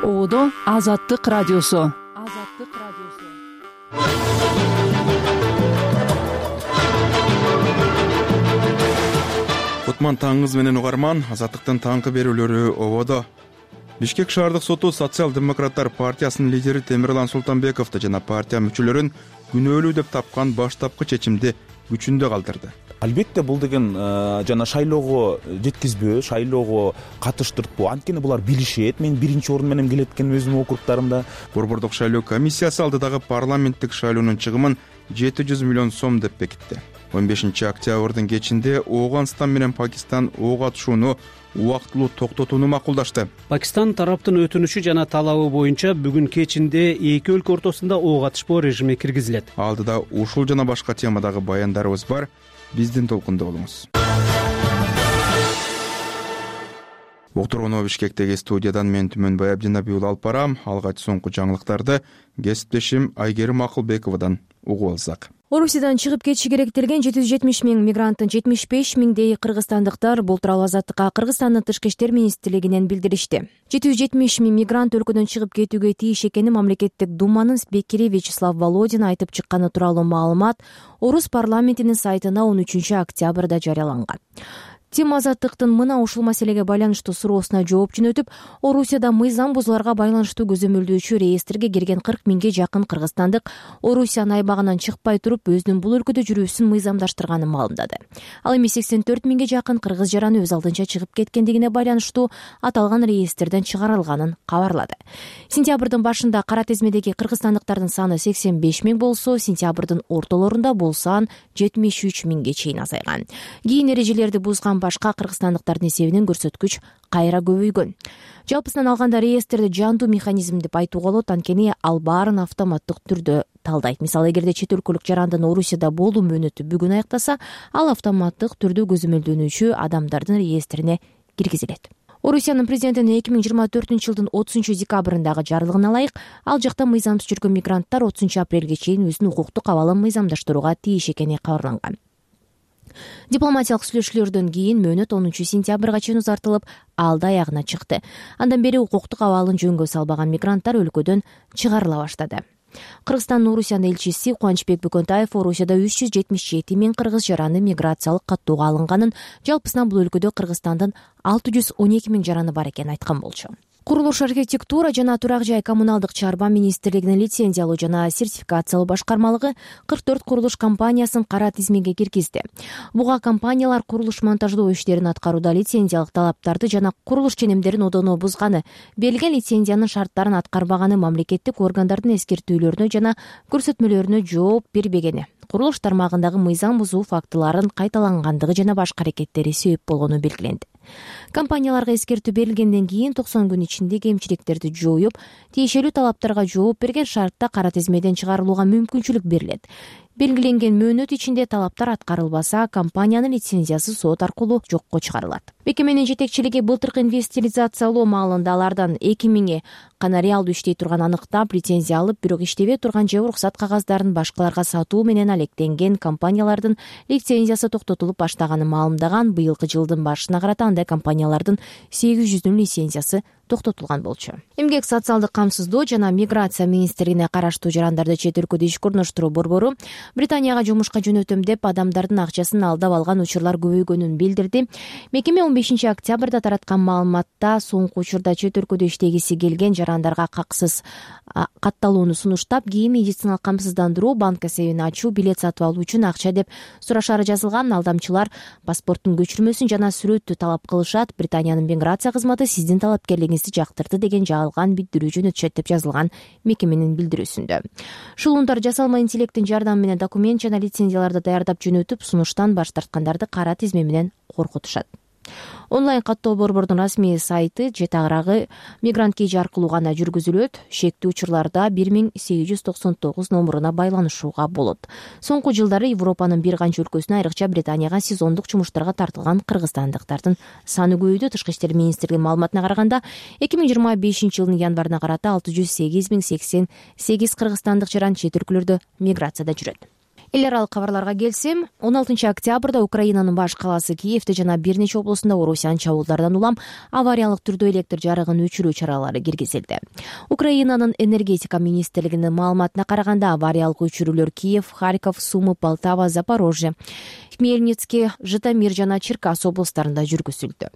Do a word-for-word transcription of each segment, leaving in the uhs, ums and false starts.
Одо Азаттык радиосу. Азаттык радиосу. Кутман таңыңыз менен угарман. Азаттыктын таңкы берүүлөрү ободо. Бишкек шаардык соту социал-демократтар партиясынын лидери Темирлан Султанбековду жана партия мүчөлөрүн күнөөлүү деп тапкан баштапкы чечимди күчүндө калтырды. Албетте бул деген жана шайлоого жеткизбөө, шайлоого катыштыртпоо. Анткени булар билишет. Мен биринчи орун менен келет экен өзүмдүн округдарымда. Борбордук шайлоо комиссиясы алдыдагы парламенттик шайлоонун чыгымын жети жүз миллион сом деп бекитти. он бешинчи октябрдын кечинде Ооганстан менен Пакистан ок атышууну убактылуу токтотууну макулдашты. Пакистан тараптын өтүнүчү жана талабы боюнча бүгүн кечинде эки өлкө ортосунда ок атышпоо режими киргизилет. Алдыда ушул жана башка темадагы баяндарыбыз бар. Биздин толкунда болуңуз. Уктургону Бишкектеги студиядан мен Түмөнбай Абдинабий уулу алып барам. Алгач соңку жаңылыктарды кесиптешим Айгерим Акылбековадан угуп алсак. Орусиядан чыгып кетиши керектелген жети жүз жетимиш миң мигранттын жетимиш беш миңдей кыргызстандыктар бул тууралуу Азаттыкка Кыргызстандын Тышкы иштер министрлигинен билдиришти. жети жүз жетимиш миң мигрант өлкөдөн чыгып кетүүгө тийиш экени мамлекеттик думанын спикери Вячеслав Володин айтып чыкканы тууралуу маалымат Орус парламентинин сайтына он үчүнчү октябрда жарыяланган. Тим Азаттыктын мына ушул маселеге байланыштуу суроосуна жооп жөнөтүп, Орусияда мыйзам бузууларга байланыштуу көзөмөлдөөчү реестрге кирген кырк миңге жакын кыргызстандык Орусиянын айбагынан чыкпай туруп өзүнүн бул өлкөдө жүрүүсүн мыйзамдаштырганын маалымдады. Ал эми сексен төрт миңге жакын кыргыз жараны өз алдынча чыгып кеткендигине байланыштуу аталган реестрден чыгарылганын кабарлады. Сентябрдын башында кара тизмедеги кыргызстандыктардын саны сексен беш миң болсо, сентябрдын ортолорунда бул сан жетимиш үч миңге чейин азайган. Кийин эрежелерди бузган башка кыргызстандыктардын эсебинен көрсөткүч кайра көбөйгөн. Жалпысынан алганда реестрди жандуу механизм деп айтууга болот, анткени ал баарын автоматтык түрдө талдайт. Мисалы, эгерде чет өлкөлүк жарандын Орусияда болуу мөөнөтү бүгүн аяктаса, ал автоматтык түрдө көзөмөлдөнүүчү адамдардын реестрине киргизилет. Орусиянын президентинин эки миң жыйырма төртүнчү жылдын отузунчу декабрындагы жарлыгына ылайык, ал жакта мыйзамсыз жүргөн мигранттар отузунчу апрелге чейин өзүнүн укуктук абалын мыйзамдаштырууга тийиш экени кабарланган. Дипломатиялык сүйлөшүүлөрдөн кийин мөөнөт онунчу сентябрга чейин узартылып, алды аягына чыкты. Андан бери укуктук абалын жөнгө салбаган мигранттар өлкөдөн чыгарыла баштады. Кыргызстандын Орусиянын элчиси Кубанычбек Бөкөнтаев Орусияда үч жүз жетимиш жети миң кыргыз жараны миграциялык каттоого алынганын, жалпысынан бул өлкөдө Кыргызстандын алты жүз он эки миң жараны бар экенин айткан болчу. Курулуш, архитектура жана турак жай коммуналдык чарба министрлигинин лицензиялоо жана сертификациялоо башкармалыгы кырк төрт курулуш компаниясын кара тизмеге киргизди. Буга компаниялар курулуш монтаждоо иштерин аткарууда лицензиялык талаптарды жана курулуш ченемдерин одоно бузганы, берилген лицензиянын шарттарын аткарбаганы, мамлекеттик органдардын эскертүүлөрүнө жана көрсөтмөлөрүнө жооп бербегени, курулуш тармагындагы мыйзам бузуу фактыларын кайталангандыгы жана башка аракеттери себеп болгону белгиленди. Компанияларга эскертүү берилгенден кийин токсон күн ичинде кемчиликтерди жоюп, тиешелүү талаптарга жооп берген шартта кара тизмеден чыгарылууга мүмкүнчүлүк берилет. Белгиленген мөөнөт ичинде талаптар аткарылбаса, компаниянын лицензиясы сот аркылуу жокко чыгарылат. Мекеменин жетекчилиги былтыркы инвестализациялоо маалында алардан эки миңи гана реалдуу иштей турган аныктап, лицензия алып, бирок иштебей турган же уруксат кагаздарын башкаларга сатуу менен алектенген компаниялардын лицензиясы токтотулуп баштаганын маалымдаган. Быйылкы жылдын башына карата андай компаниялардын сегиз жүздүн лицензиясы токтотулган болчу. Эмгек, социалдык камсыздоо жана миграция министрлигине караштуу жарандарды чет өлкөдө ишке орноштуруу борбору Британияга жумушка жөнөтөм деп адамдардын акчасын алдап алган учурлар көбөйгөнүн билдирди. Мекеме он бешинчи октябрда тараткан маалыматта соңку учурда чет өлкөдө иштегиси келген жарандарга каксыз катталууну сунуштап, кийин медициналык камсыздандыруу, банк эсебин ачуу, билет сатып алуу үчүн акча деп сурашары жазылган. Алдамчылар паспорттун көчүрмөсүн жана сүрөттү талап кылышат. Британиянын миграция кызматы сиздин талапкерлигиңизди жактырды деген жалган билдирүү жөнөтүшөт деп жазылган мекеменин билдирүүсүндө. Шулундар жасалма интеллекттин жардамы менен документ жана лицензияларды даярдап жөнөтүп, сунуштан баш тарткандарды кара тизме менен коркутушат. Онлайн каттоо борбордун расмий сайты же тагыраагы мигрант кейжи аркылуу гана жүргүзүлөт. Шектүү учурларда бир миң сегиз жүз токсон тогуз номуруна байланышууга болот. Соңку жылдары Европанын бир канча өлкөсүнө, айрыкча Британияга сезондук жумуштарга тартылган кыргызстандыктардын саны көбөйдү. Тышкы иштер министрлигинин маалыматына караганда, эки миң жыйырма бешинчи жылдын январына карата алты жүз сегиз миң сексен сегиз кыргызстандык жаран чет өлкөлөрдө миграцияда жүрөт. эл аралык кабарларга келсем, он алтынчы октябрда Украинанын баш калаасы Киевде жана бир нече облусунда Орусиянын чабуулдардан улам авариялык түрдө электр жарыгын өчүрүү чаралары киргизилди. Украинанын энергетика министрлигинин маалыматына караганда, авариялык өчүрүүлөр Киев, Харьков, Сумы, Полтава, Запорожье, Хмельницкий, Житомир жана Черкас облустарында жүргүзүлдү.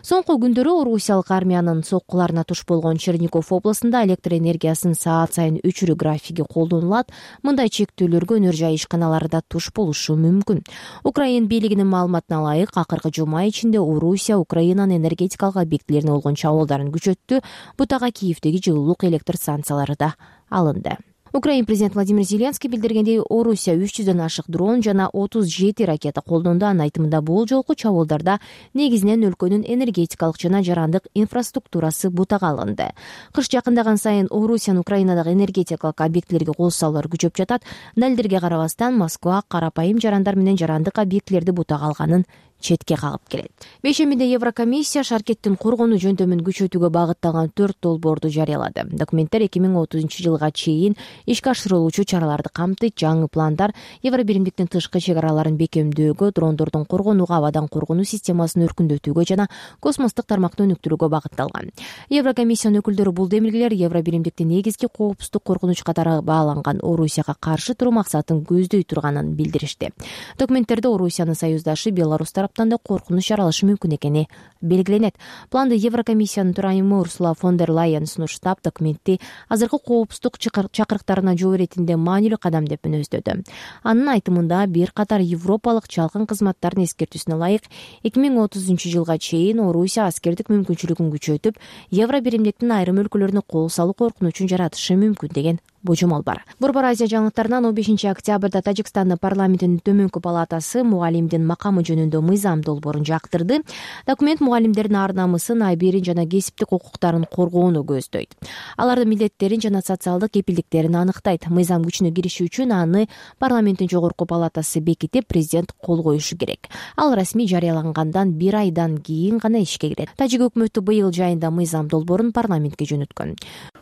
Соңку күндөрү Орусиялык армиянын соккуларына туш болгон Чернигов облусунда электр энергиясын саат сайын өчүрүү графиги колдонулат. Мындай чектөөлөргө өнөр жай ишканалары да туш болушу мүмкүн. Украин бийлигинин маалыматына ылайык, акыркы жума ичинде Орусия Украинанын энергетикалык объектилерине болгон чабуулдарын күчөттү. Бутага Киевдеги жылуулук электр станциялары да алынды. Украин президенти Владимир Зеленский билдиргендей, Орусия үч жүздөн ашык дрон жана отуз жети ракета колдонду. Анын айтымында, бул жолку чабуулдарда негизинен өлкөнүн энергетикалык жана жарандык инфраструктурасы бутага алынды. Кыш жакындаган сайын Орусиянын Украинадагы энергетикалык объектилерге кол салуулары күчөп жатат. Далилдерге карабастан, Москва карапайым жарандар менен жарандык объектилерди бутага алганын четке кагып келет. Бейшембиде Еврокомиссия шаркеттин коргонуу жөндөмүн күчөтүүгө багытталган төрт долбоорду жарыялады. Документтер эки миң отузунчу жылга чейин ишке ашырылуучу чараларды камтыйт. Жаңы пландар Евро биримдиктин тышкы чек араларын бекемдөөгө, дрондордун коргонууга, абадан коргонуу системасын өркүндөтүүгө жана космостук тармакты өнүктүрүүгө багытталган. Еврокомиссиянын өкүлдөрү бул демилгелер Евро биримдиктин негизги коопсуздук коркунуч катары бааланган Орусияга каршы туруу максатын көздөй турганын билдиришти. Документтерде Орусиянын союздашы Беларусь тараптан да коркунуч жаралышы мүмкүн экени белгиленет. Планды Еврокомиссиянын төрайымы Урсула фон дер Лайен сунуштап, документти азыркы коопсуздук чакырыктарына жол иретинде маанилүү кадам деп мүнөздөдү. Анын айтымында, бир катар европалык чалкын кызматтардын эскертүүсүнө ылайык, эки миң отузунчу жылга чейин Орусия аскердик мүмкүнчүлүгүн күчөтүп, Евро биримдиктин айрым өлкөлөрүнө кол салуу коркунучун жаратышы мүмкүн деген божомол бар. Борбор Азия жаңылыктарынан он бешинчи октябрда Тажикстандын парламентинин төмөнкү палатасы мугалимдин макамы жөнүндө мыйзам долбоорун жактырды. Документ мугалимдердин ар намысын, айберин жана кесиптик укуктарын коргоону көздөйт. Алардын милдеттерин жана социалдык кепилдиктерин аныктайт. Мыйзам күчүнө кириши үчүн аны парламенттин жогорку палатасы бекитип, президент кол коюшу керек. Ал расмий жарыялангандан бир айдан кийин гана ишке кирет. Тажик өкмөтү быйыл жайында мыйзам долбоорун парламентке жөнөткөн.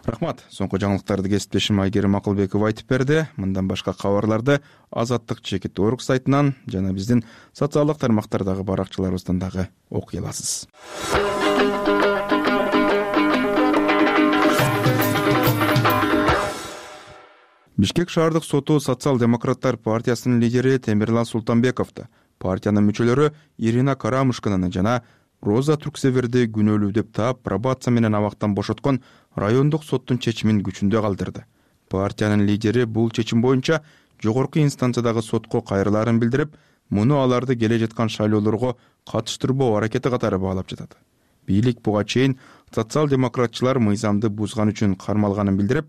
Рахмат. Соңку жаңылыктарды кесиптешим Айгерим Акылбеков айтып берди. Мындан башка кабарларды Азаттык чекит орг сайтынан жана биздин социалдык тармактардагы баракчаларыбыздан дагы окуй аласыз. Бишкек шаардык соту Социал-демократтар партиясынын лидери Темирлан Султанбековду, партиянын мүчөлөрү Ирина Карамушкинаны жана Роза Турксеверди күнөөлүү деп таап, пробация менен абактан бошоткон райондук соттун чечимин күчүндө калтырды. Партиянын лидери бул чечим боюнча жогорку инстанциядагы сотко кайрылаарын билдирип, муну аларды келе жаткан шайлоолорго катыштырбоо аракети катары баалап жатат. Бийлик буга чейин социал-демократчылар мыйзамды бузган үчүн кармалганын билдирип,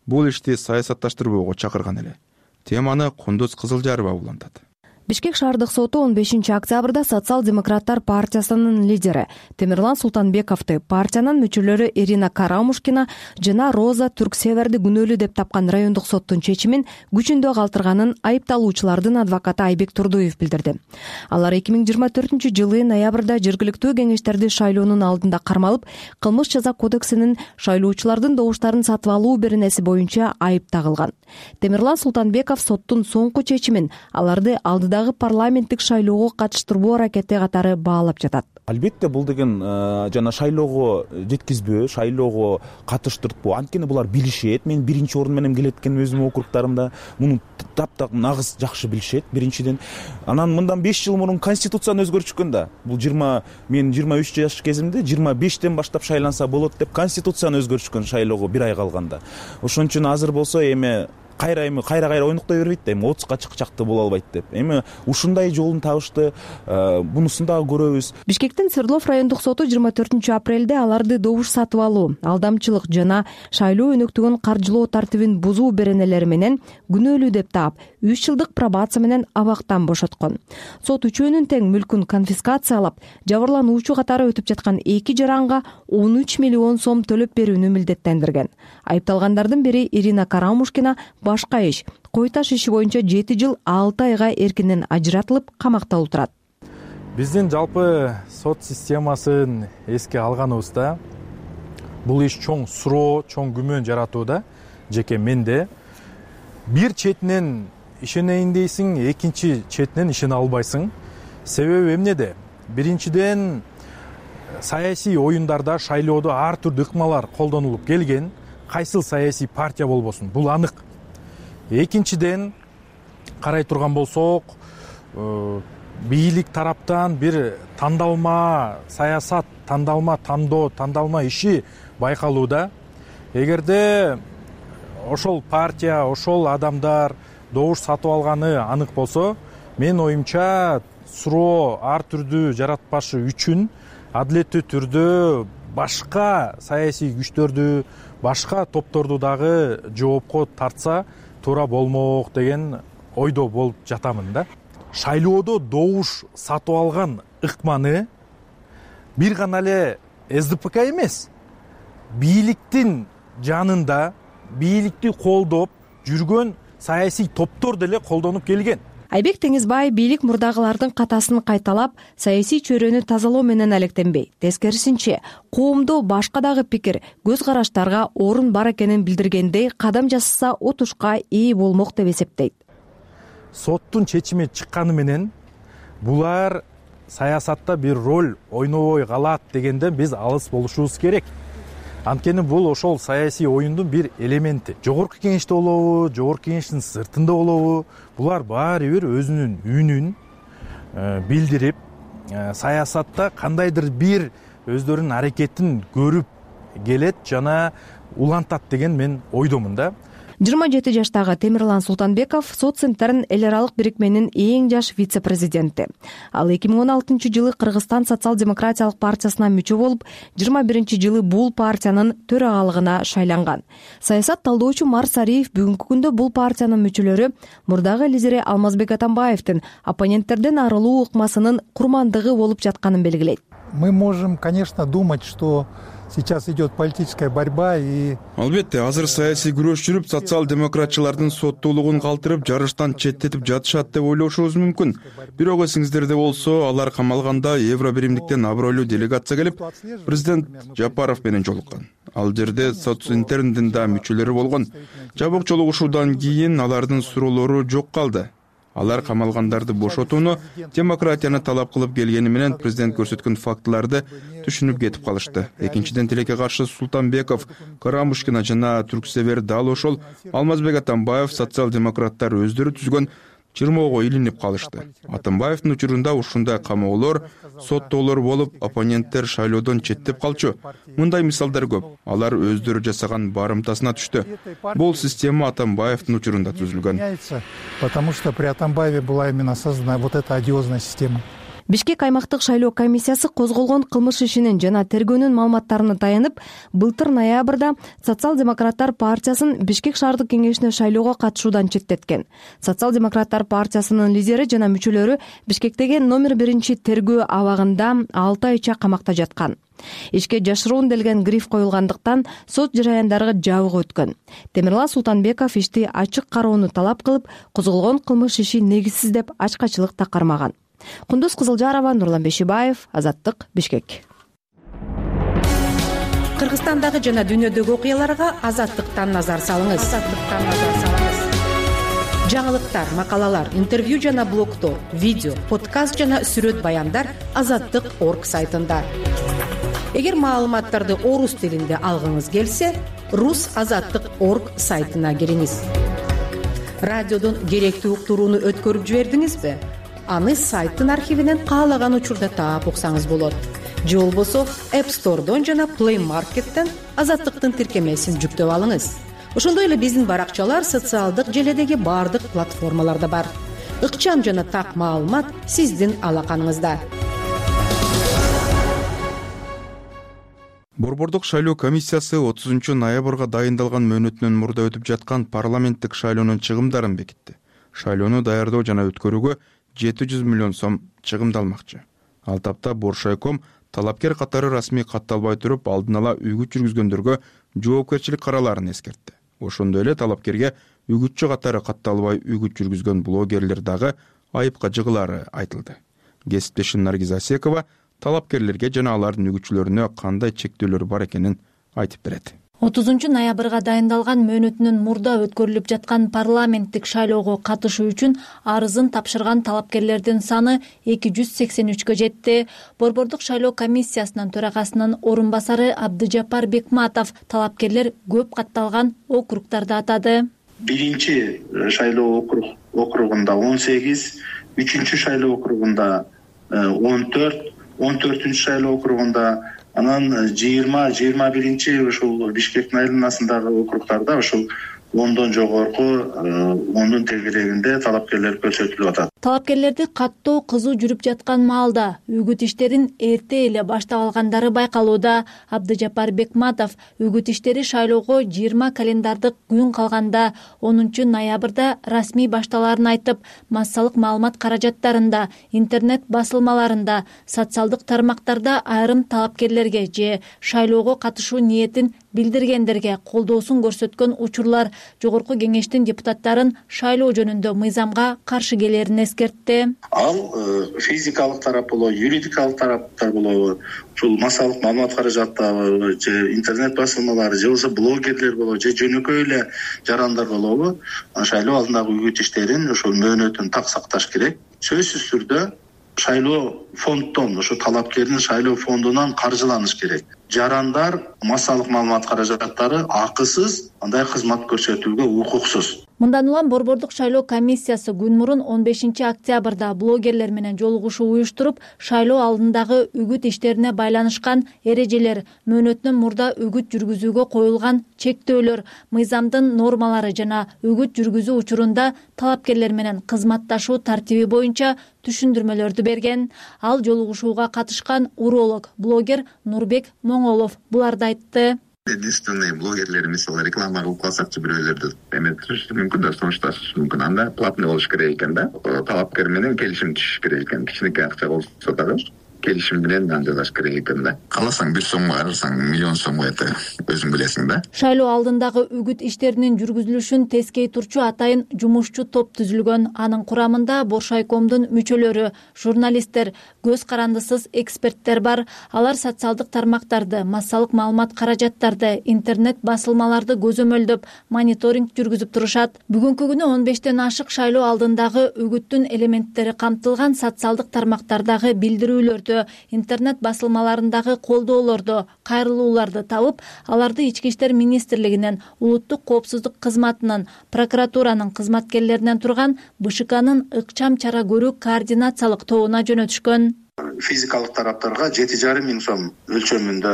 бул ишти саясатташтырбоого чакырган эле. Теманы Кундуз Кызылжарова улантат. Бишкек шаардык соту он бешинчи октябрда Социал-демократтар партиясынын лидери Темирлан Султанбековду, партиянын мүчөлөрү Ирина Карамушкина жана Роза Турксеверди күнөөлүү деп тапкан райондук соттун чечимин күчүндө калтырганын айыпталуучулардын адвокаты Айбек Турдуев билдирди. Алар эки миң жыйырма төртүнчү жылы ноябрда жергиликтүү кеңештерди шайлоонун алдында кармалып, кылмыш жаза кодексинин шайлоочулардын добуштарын сатып алуу беренеси боюнча айып тагылган. Темирлан Султанбеков соттун соңку чечимин аларды алдыдагы парламенттик шайлоого катыштырбоо аракети катары баалап жатат. Албетте бул деген жана шайлоого жеткизбөө, шайлоого катыштыртпоо, анткени булар билишет. Мен биринчи орун менен келет экен өзүмдүн округдарымда. Муну таптак нагыз жакшы билишет биринчиден. Анан мындан беш жыл мурун конституцияны өзгөртүшкөн да. Бул жыйырма мен жыйырма үч жаш кезимде жыйырма бештен баштап шайланса болот деп конституцияны өзгөртүшкөн шайлоого бир ай калганда. Ошон үчүн азыр болсо эми кайра эми кайра кайра ойноктой бербейт да, эми отузга чыкчакты боло албайт деп. Эми ушундай жолун табышты, бунусун дагы көрөбүз. Бишкектин Свердлов райондук соту жыйырма төртүнчү апрелде аларды добуш сатып алуу, алдамчылык жана шайлоо өнөктүгүн каржылоо тартибин бузуу беренелери менен күнөөлүү деп таап, үч жылдык пробация менен абактан бошоткон. Сот үчөөнүн тең мүлкүн конфискациялап, жабырлануучу катары өтүп жаткан эки жаранга он үч миллион сом төлөп берүүнү милдеттендирген. Айыпталгандардын бири Ирина Карамушкина башка иш, кой таш иши боюнча жети жыл алты айга эркинен ажыратылып камакта отурат. Биздин жалпы сот системасын эске алганыбызда бул иш чоң суроо, чоң күмөн жаратууда, жеке менде. Бир четинен ишенейин дейсиң, экинчи четинен ишене албайсың. Себеби эмнеде? Биринчиден, саясий оюндарда, шайлоодо ар түрдүү ыкмалар колдонулуп келген. Кайсыл саясий партия болбосун, бул анык. Экинчиден, карай турган болсок, бийлик тараптан бир тандалма саясат, тандалма тандоо, тандалма иши байкалууда. Эгерде ошол партия, ошол адамдар добуш сатып алганы анык болсо, менин оюмча суроо ар түрдүү жаратпашы үчүн адилеттүү түрдө башка саясий күчтөрдү, башка топторду дагы жоопко тартса туура болмок деген ойдо болуп жатамын да. Шайлоодо добуш сатып алган ыкманы бир гана эле эс ди пэ ка эмес, бийликтин жанында бийликти колдоп жүргөн саясий топтор деле колдонуп келген. Айбек Теңизбай бийлик мурдагылардын катасын кайталап, саясий чөйрөнү тазалоо менен алектенбей, тескерисинче, коомдо башка дагы пикир, көз караштарга орун бар экенин билдиргендей кадам жасаса отушка ээ болмок деп эсептейт. Соттун чечими чыкканы менен булар саясатта бир роль ойнобой калат дегенден биз алыс болушубуз керек. Анткени бул ошол саясий оюндун бир элементи. Жогорку кеңеште болобу, жогорку кеңештин сыртында болобу, булар баары бир өзүнүн үнүн билдирип, саясатта кандайдыр бир өздөрүнүн аракетин көрүп келет жана улантат деген мен ойдомун да. жыйырма жети жаштагы Темирлан Султанбеков Сот Центрдин эл аралык бирикменин эң жаш вице-президенти. Ал эки миң он алтынчы жылы Кыргызстан социал-демократиялык партиясына мүчө болуп, жыйырма биринчи жылы бул партиянын төрагалыгына шайланган. Саясат талдоочу Марс Ариев бүгүнкү күндө бул партиянын мүчөлөрү мурдагы лидери Алмазбек Атамбаевдин оппоненттерден арылуу ыкмасынын курмандыгы болуп жатканын белгилейт. Мы можем, конечно, думать, что сейчас идет политическая борьба и... Албетте, азыр саясий күрөш жүрүп, социал-демократчылардын соттуулугун калтырып, жарыштан четтетип жатышат деп ойлошубуз мүмкүн. Бирок эсиңиздерде болсо, алар камалганда Евро биримдиктен абройлуу делегация келип, президент Жапаров менен жолуккан. Ал жерде Социнтерндин да мүчөлөрү болгон. Жабык жолугушуудан кийин алардын суроолору жок калды. Алар камалгандарды бошотууну демократияны талап кылып келгени менен президент көрсөткөн фактыларды түшүнүп кетип калышты. Экинчиден, тилекке каршы Султанбеков, Карамушкина жана Түрксевер дал ошол Алмазбек Атамбаев социал-демократтар өздөрү түзгөн чырмоого илинип калышты. Атамбаевдин учурунда ушундай камоолор, соттоолор болуп, оппоненттер шайлоодон четтеп калчу. Мындай мисалдар көп. Алар өздөрү жасаган барымтасына түштү. Бул система Атамбаевдин учурунда түзүлгөн. Потому что при Атамбаеве была именно создана вот эта одиозная система. Бишкек аймактык шайлоо комиссиясы козголгон кылмыш ишинин жана тергөөнүн маалыматтарына таянып, былтыр ноябрда Социал-демократтар партиясын Бишкек шаардык кеңешине шайлоого катышуудан четтеткен. Социал-демократтар партиясынын лидери жана мүчөлөрү Бишкектеги номер биринчи тергөө абагында алты айча камакта жаткан. Ишке жашыруун делген гриф коюлгандыктан сот жараяндары жабык өткөн. Темирлан Султанбеков ишти ачык кароону талап кылып, козголгон кылмыш иши негизсиз деп ачкачылык такармаган. Кундуз Кызылжарова, Нурлан Бешибаев, Азаттык, Бишкек. Кыргызстандагы жана дүйнөдөгү окуяларга Азаттыктан назар салыңыз. Азаттыктан назар салыңыз. Жаңылыктар, макалалар, интервью жана блогтор, видео, подкаст жана сүрөт баяндар азаттык точка орг сайтында. Эгер маалыматтарды орус тилинде алгыңыз келсе, рус азаттык точка орг сайтына кириңиз. Радиодон керектүү уктурууну өткөрүп жибердиңизби? Аны сайттын архивинен каалаган учурда таап уксаңыз болот. Же болбосо App Store'дон жана Play Market'тен Азаттыктын тиркемесин жүктөп алыңыз. Ошондой эле биздин баракчалар социалдык желедеги бардык платформаларда бар. Ыкчам жана так маалымат сиздин алаканыңызда. Борбордук шайлоо комиссиясы отузунчу ноябрга дайындалган мөөнөтүнөн мурда өтүп жаткан парламенттик шайлоонун чыгымдарын бекитти. Шайлоону даярдоо жана өткөрүүгө жети жүз миллион сом чыгымдалмакчы. Ал тапта Боршайком талапкер катары расмий катталбай туруп, алдын ала үгүт жүргүзгөндөргө жоопкерчилик караларын эскертти. Ошондой эле талапкерге үгүтчү катары катталбай үгүт жүргүзгөн блогерлер дагы айыпка жыгылары айтылды. Кесиптешим Наргиз Асекова талапкерлерге жана алардын үгүтчүлөрүнө кандай чектөөлөр бар экенин айтып берет. отузунчу ноябрга дайындалган мөөнөтүнөн мурда өткөрүлүп жаткан парламенттик шайлоого катышуу үчүн арызын тапшырган талапкерлердин саны эки жүз сексен үчкө жетти. Борбордук шайлоо комиссиясынын төрагасынын орун басары Абдыжапар Бекматов талапкерлер көп катталган округдарды атады. Биринчи шайлоо округунда он сегиз, үчүнчү шайлоо округунда он төрт, он төртүнчү шайлоо округунда, анан жыйырма жыйырма биринчи ушул Бишкектин айланасындагы округдарда ушул ондон жогорку, ондун тегерегинде талапкерлер көрсөтүлүп атат. Талапкерлерди каттоо кызуу жүрүп жаткан маалда үгүт иштерин эрте эле баштап алгандары байкалууда. Абдыжапар Бекматов үгүт иштери шайлоого жыйырма календардык күн калганда онунчу ноябрда расмий башталаарын айтып, массалык маалымат каражаттарында, интернет басылмаларында, социалдык тармактарда айрым талапкерлерге же шайлоого катышуу ниетин билдиргендерге колдоосун көрсөткөн учурлар жогорку кеңештин депутаттарын шайлоо жөнүндө мыйзамга каршы келерин эскертти. Ал физикалык тарап болобу, юридикалык тараптар болобу, ушул массалык маалымат каражаттары же интернет басылмалары же болбосо блогерлер болобу же жөнөкөй эле жарандар болобу, шайлоо алдындагы үгүт иштерин ушул мөөнөтүн так сакташ керек. Сөзсүз түрдө шайлоо фонддон, ошо талапкердин шайлоо фондунан каржыланыш керек. Жарандар массалык маалымат каражаттары акысыз андай кызмат көрсөтүүгө укуксуз. Мындан улам Борбордук шайлоо комиссиясы күн мурун он бешинчи октябрда блогерлер менен жолугушуу уюштуруп, шайлоо алдындагы үгүт иштерине байланышкан эрежелер, мөөнөтүнөн мурда үгүт жүргүзүүгө коюлган чектөөлөр, мыйзамдын нормалары жана үгүт жүргүзүү учурунда талапкерлер менен кызматташуу тартиби боюнча түшүндүрмөлөрдү берген. Ал жолугушууга катышкан уролог, блогер Нурбек Моңолов буларды айтты. Единственный блогерлер мисалы реклама кылып калсакчы бирөөлөрдү эметиши мүмкүн да сунушташышы мүмкүн. Анда платный болуш керек экен да. Талапкер менен келишим түзүш керек экен. Кичинекей акча болсо дагы келишим менен жазаш керек экен да. Кааласаң бир сомго арырсаң миллион сомго эте өзүң билесиң да. Шайлоо алдындагы үгүт иштеринин жүргүзүлүшүн тескей турчу атайын жумушчу топ түзүлгөн. Анын курамында Боршайкомдун мүчөлөрү, журналисттер, көз карандысыз эксперттер бар. Алар социалдык тармактарды, массалык маалымат каражаттарды, интернет басылмаларды көзөмөлдөп, мониторинг жүргүзүп турушат. Бүгүнкү күнү он бештен ашык шайлоо алдындагы үгүттүн элементтери камтылган социалдык тармактардагы билдирүүлөрдү, интернет басылмаларындагы колдоолорду, кайрылууларды табып, аларды Ички иштер министрлигинен, улуттук коопсуздук кызматынын, прокуратуранын кызматкерлеринен турган БШКнын ыкчам чара көрүү координациялык тобуна жөнөтүшкөн. Физикалык тараптарга жети жарым миң сом өлчөмүндө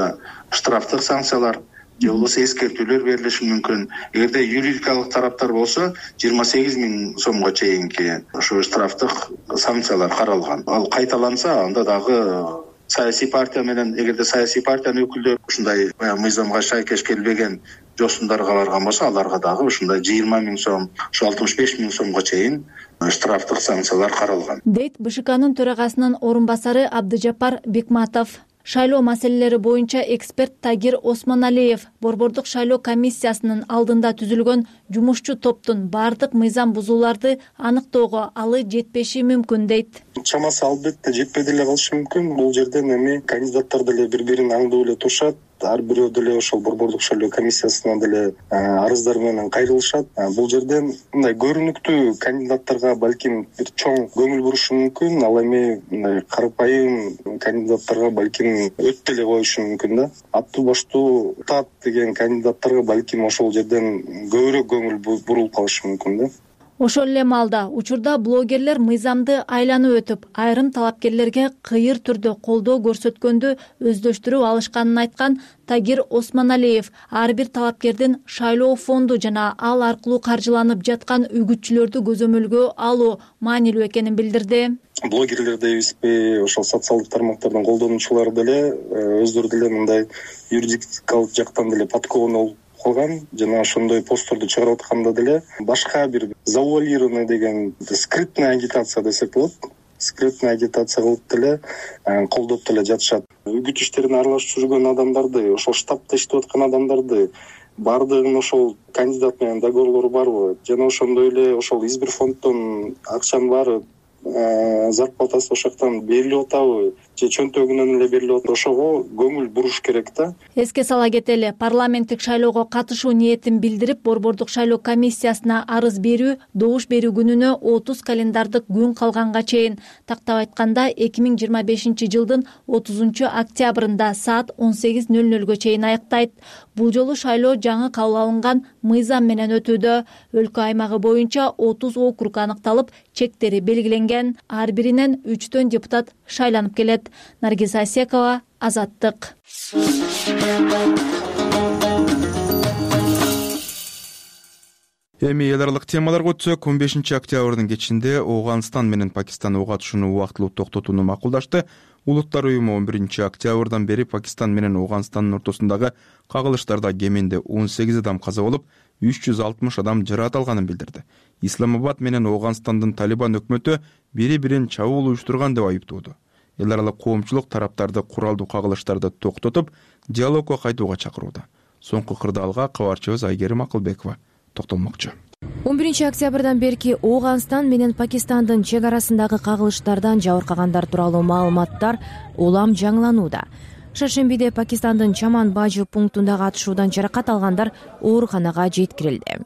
штрафтык санкциялар же болбосо эскертүүлөр берилиши мүмкүн. Эгерде юридикалык тараптар болсо жыйырма сегиз миң сомго чейинки ошо штрафтык санкциялар каралган. Ал кайталанса, анда дагы саясий партия менен, эгерде саясий партиянын өкүлдөрү ушундай мыйзамга шайкеш келбеген жосундарга барган болсо, аларга дагы ушундай жыйырма миң сом, ошо алтымыш беш миң сомго чейин штрафтык санкциялар каралган. Дейт БШКнын төрагасынын орун басары Абдыжапар Бекматов. Шайлоо маселелери боюнча эксперт Тагир Осмоналиев Борбордук шайлоо комиссиясынын алдында түзүлгөн жумушчу топтун бардык мыйзам бузууларды аныктоого алы жетпеши мүмкүн дейт. Чамасы албетте жетпей деле калышы мүмкүн. Бул жерден эми кандидаттар деле бири-бирин аңдып эле турушат. Ар бирөө деле ошол Борбордук шайлоо комиссиясына деле арыздар менен кайрылышат. Бул жерден мындай көрүнүктүү кандидаттарга балким бир чоң көңүл бурушу мүмкүн, ал эми мындай карапайым кандидаттарга балким өтө деле коюшу мүмкүн да. Аттуу баштуу тат деген кандидаттарга балким ошол жерден көбүрөөк көңүл бурулуп калышы мүмкүн да. Ошол эле маалда учурда блогерлер мыйзамды айланып өтүп, айрым талапкерлерге кыйыр түрдө колдоо көрсөткөндү өздөштүрүп алышканын айткан Тагир Осмоналиев ар бир талапкердин шайлоо фонду жана ал аркылуу каржыланып жаткан үгүтчүлөрдү көзөмөлгө алуу маанилүү экенин билдирди. Блогерлер дейбизби, ошол социалдык тармактардын колдонуучулары деле өздөрү деле мындай юридикалык жактан деле подкованный калган жана ошондой постторду чыгарып атканда деле башка бир завуалированный деген скрытная агитация десек болот. Скрытная агитация кылып деле колдоп деле жатышат. Үгүт иштерине аралашып жүргөн адамдарды, ошол штабта иштеп аткан адамдарды бардыгын ошол кандидат менен договорлору барбы? Жана ошондой эле ошол избир фонддон акчанын баары зарплатасы ошол жактан берилип атабы же чөнтөгүнөн эле берилип атат, ошого көңүл буруш керек да. Эске сала кетели, парламенттик шайлоого катышуу ниетин билдирип, Борбордук шайлоо комиссиясына арыз берүү добуш берүү күнүнө отуз календардык күн калганга чейин, тактап айтканда эки миң жыйырма бешинчи жылдын отузунчу октябрында саат он сегиз нөл нөлгө чейин аяктайт. Бул жолу шайлоо жаңы кабыл алынган мыйзам менен өтүүдө. Өлкө аймагы боюнча отуз округ аныкталып, чектери белгиленген. Ар биринен үчтөн депутат шайланып келет. Наргиз Асекова, Азаттык. Эми эл аралык темаларга өтсөк, он бешинчи октябрдын кечинде Ооганстан менен Пакистан ок атышууну убактылуу токтотууну макулдашты. Улуттар уюму он биринчи октябрдан бери Пакистан менен Ооганстандын ортосундагы кагылыштарда кеминде он сегиз адам каза болуп, үч жүз алтымыш адам жаракат алганын билдирди. Исламабад менен Ооганстандын Талибан өкмөтү бири-бирин чабуул уюштурган деп айыптоодо. Эл аралык коомчулук тараптарды куралдуу кагылыштарды токтотуп, диалогко кайтууга чакырууда. Соңку кырдаалга кабарчыбыз Айгерим Акылбекова токтолмокчу. он биринчи октябрдан берки Ооганстан менен Пакистандын чек арасындагы кагылыштардан жабыркагандар тууралуу маалыматтар улам жаңыланууда. Шаршембиде Пакистандын Чаман Бажы пунктундагы атышуудан жаракат алгандар ооруканага жеткирилди.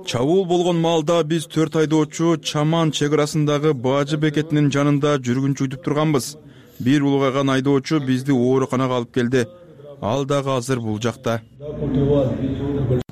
Чабуул болгон маалда биз төрт айдоочу Чаман чек арасындагы Бажы бекетинин жанында жүргүнчү күтүп турганбыз. Бир улгайган айдоочу бизди ооруканага алып келди. Ал дагы азыр бул жакта.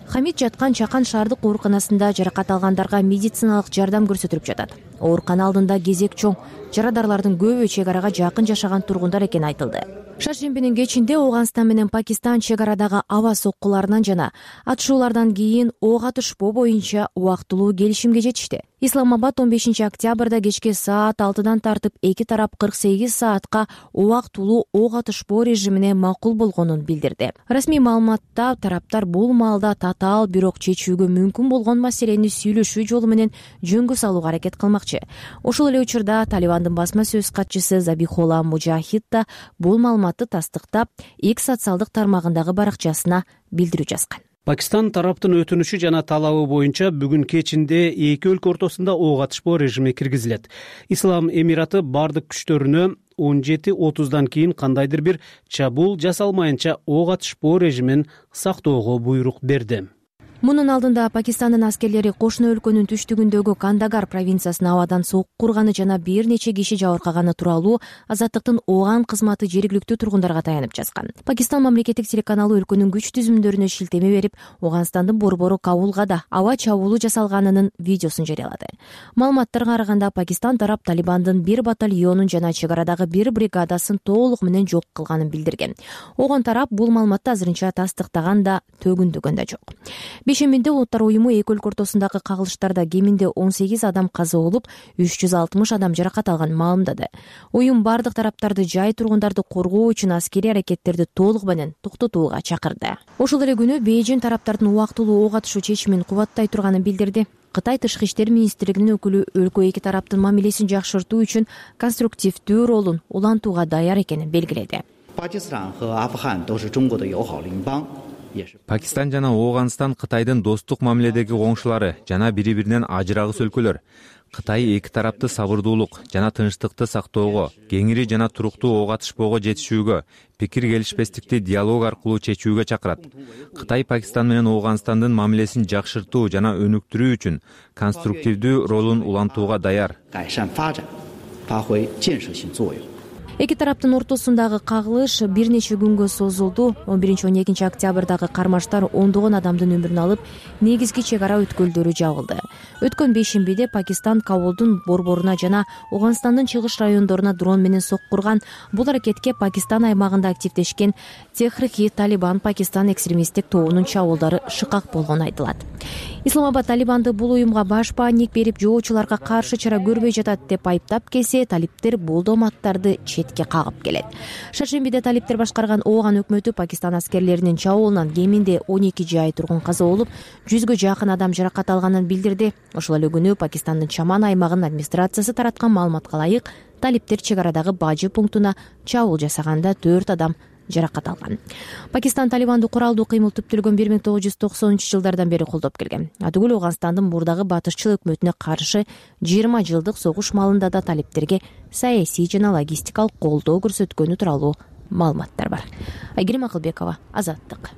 Хамид жаткан Чакан шаардык ооруканасында жаракат алгандарга медициналык жардам көрсөтүлүп жатат. Оорукана алдында кезек чоң. Жарадарлардын көбү чек арага жакын жашаган тургундар экени айтылды. Шаршембинин кечинде Ооганстан менен Пакистан чек арадагы аба соккуларынан жана атышуулардан кийин ок атышпоо боюнча убактылуу келишимге жетишти. Исламабад он бешинчи октябрда кечки саат алтыдан тартып эки тарап кырк сегиз саатка убактылуу ок атышпоо режимине макул болгонун билдирди. Расмий маалыматта тараптар бул маалда татаал, бирок чечүүгө мүмкүн болгон маселени сүйлөшүү жолу менен жөнгө салууга аракет кылмакчы. Ошол эле учурда Талибандын басма сөз катчысы Забихолла Мужахид да бул маалыматты тастыктап, X социалдык тармагындагы баракчасына билдирүү жазган. Пакистан тараптын өтүнүшү жана талабы боюнча бүгүн кечинде эки өлкө ортосунда ок атышпоо режими киргизилет. Ислам Эмираты бардык күчтөрүнө он жети отуздан кийин кандайдыр бир чабуул жасалмайынча ок атышпоо режимин сактоого буйрук берди. Мунун алдында Пакистандын аскерлери кошуна өлкөнүн түштүгүндөгү Кандагар провинциясына абадан сок курганы жана бир нече киши жабыркаганы тууралуу Азаттыктын Ооган кызматы жергиликтүү тургундарга таянып жазган. Пакистан мамлекеттик телеканалы өлкөнүн күч түзүмдөрүнө шилтеме берип, Ооганстандын борбору Кабулга да аба чабуулу жасалганынын видеосун жарыялады. Маалыматтарга караганда Пакистан тарап Талибандын бир батальонун жана чек арадагы бир бригадасын толук менен жок кылганын билдирген. Огон тарап бул маалыматты азырынча тастыктаган да, төгүндөгөн да жок. Бешембиде Улуттар уюму эки өлкө ортосундагы кагылыштарда кеминде он сегиз адам каза болуп, үч жүз алтымыш адам жаракат алганын маалымдады. Уюм бардык тараптарды жай тургундарды коргоо үчүн аскерий аракеттерди толук менен токтотууга чакырды. Ошол эле күнү Бейжин тараптардын убактылуу ок атышуу чечимин кубаттай турганын билдирди. Кытай тышкы иштер министрлигинин өкүлү өлкө эки тараптын мамилесин жакшыртуу үчүн конструктивдүү ролун улантууга даяр экенин белгиледи. Пакистан жана Ооганстан Кытайдын достук мамиледеги коңшулары жана бири-биринен ажырагыс өлкөлөр. Кытай эки тарапты сабырдуулук жана тынчтыкты сактоого, кеңири жана туруктуу ок атышпоого жетишүүгө, пикир келишпестикти диалог аркылуу чечүүгө чакырат. Кытай Пакистан менен Ооганстандын мамилесин жакшыртуу жана өнүктүрүү үчүн конструктивдүү ролун улантууга даяр. Эки тараптын ортосундагы кагылыш бир нече күнгө созулду. он биринчи он экинчи октябрдагы кармаштар ондогон адамдын өмүрүн алып, негизги чек ара өткөлдөрү жабылды. Өткөн бейшембиде Пакистан Кабулдун борборуна жана Ооганстандын чыгыш райондоруна дрон менен соккурган. Бул аракетке Пакистан аймагында активдешкен Техрики Талибан Пакистан экстремисттик тобунун чабуулдары шыкак болгону айтылат. Исламабад Талибанды бул уюмга баш паник берип, жоочуларга каршы чара көрбөй жатат деп айыптап келсе, талиптер бул доматтарды четке кагып келет. Шаршембиде талиптер башкарган Ооган өкмөтү Пакистан аскерлеринин чабуулунан кеминде он эки жай тургун каза болуп, жүзгө жакын адам жаракат алганын билдирди. Ошол эле күнү Пакистандын Чаман аймагынын администрациясы тараткан маалыматка ылайык, талиптер чек арадагы Бажы пунктуна чабуул жасаганда төрт адам жаракат алган. Пакистан Талибанды куралдуу кыймыл түптөлгөн бир миң тогуз жүз токсонунчу жылдардан бери колдоп келген. Атүгүл Ооганстандын мурдагы батышчыл өкмөтүнө каршы жыйырма жылдык согуш малында да талиптерге саясий жана логистикалык колдоо көрсөткөнү тууралуу маалыматтар бар. Айгерим Акылбекова, Азаттык.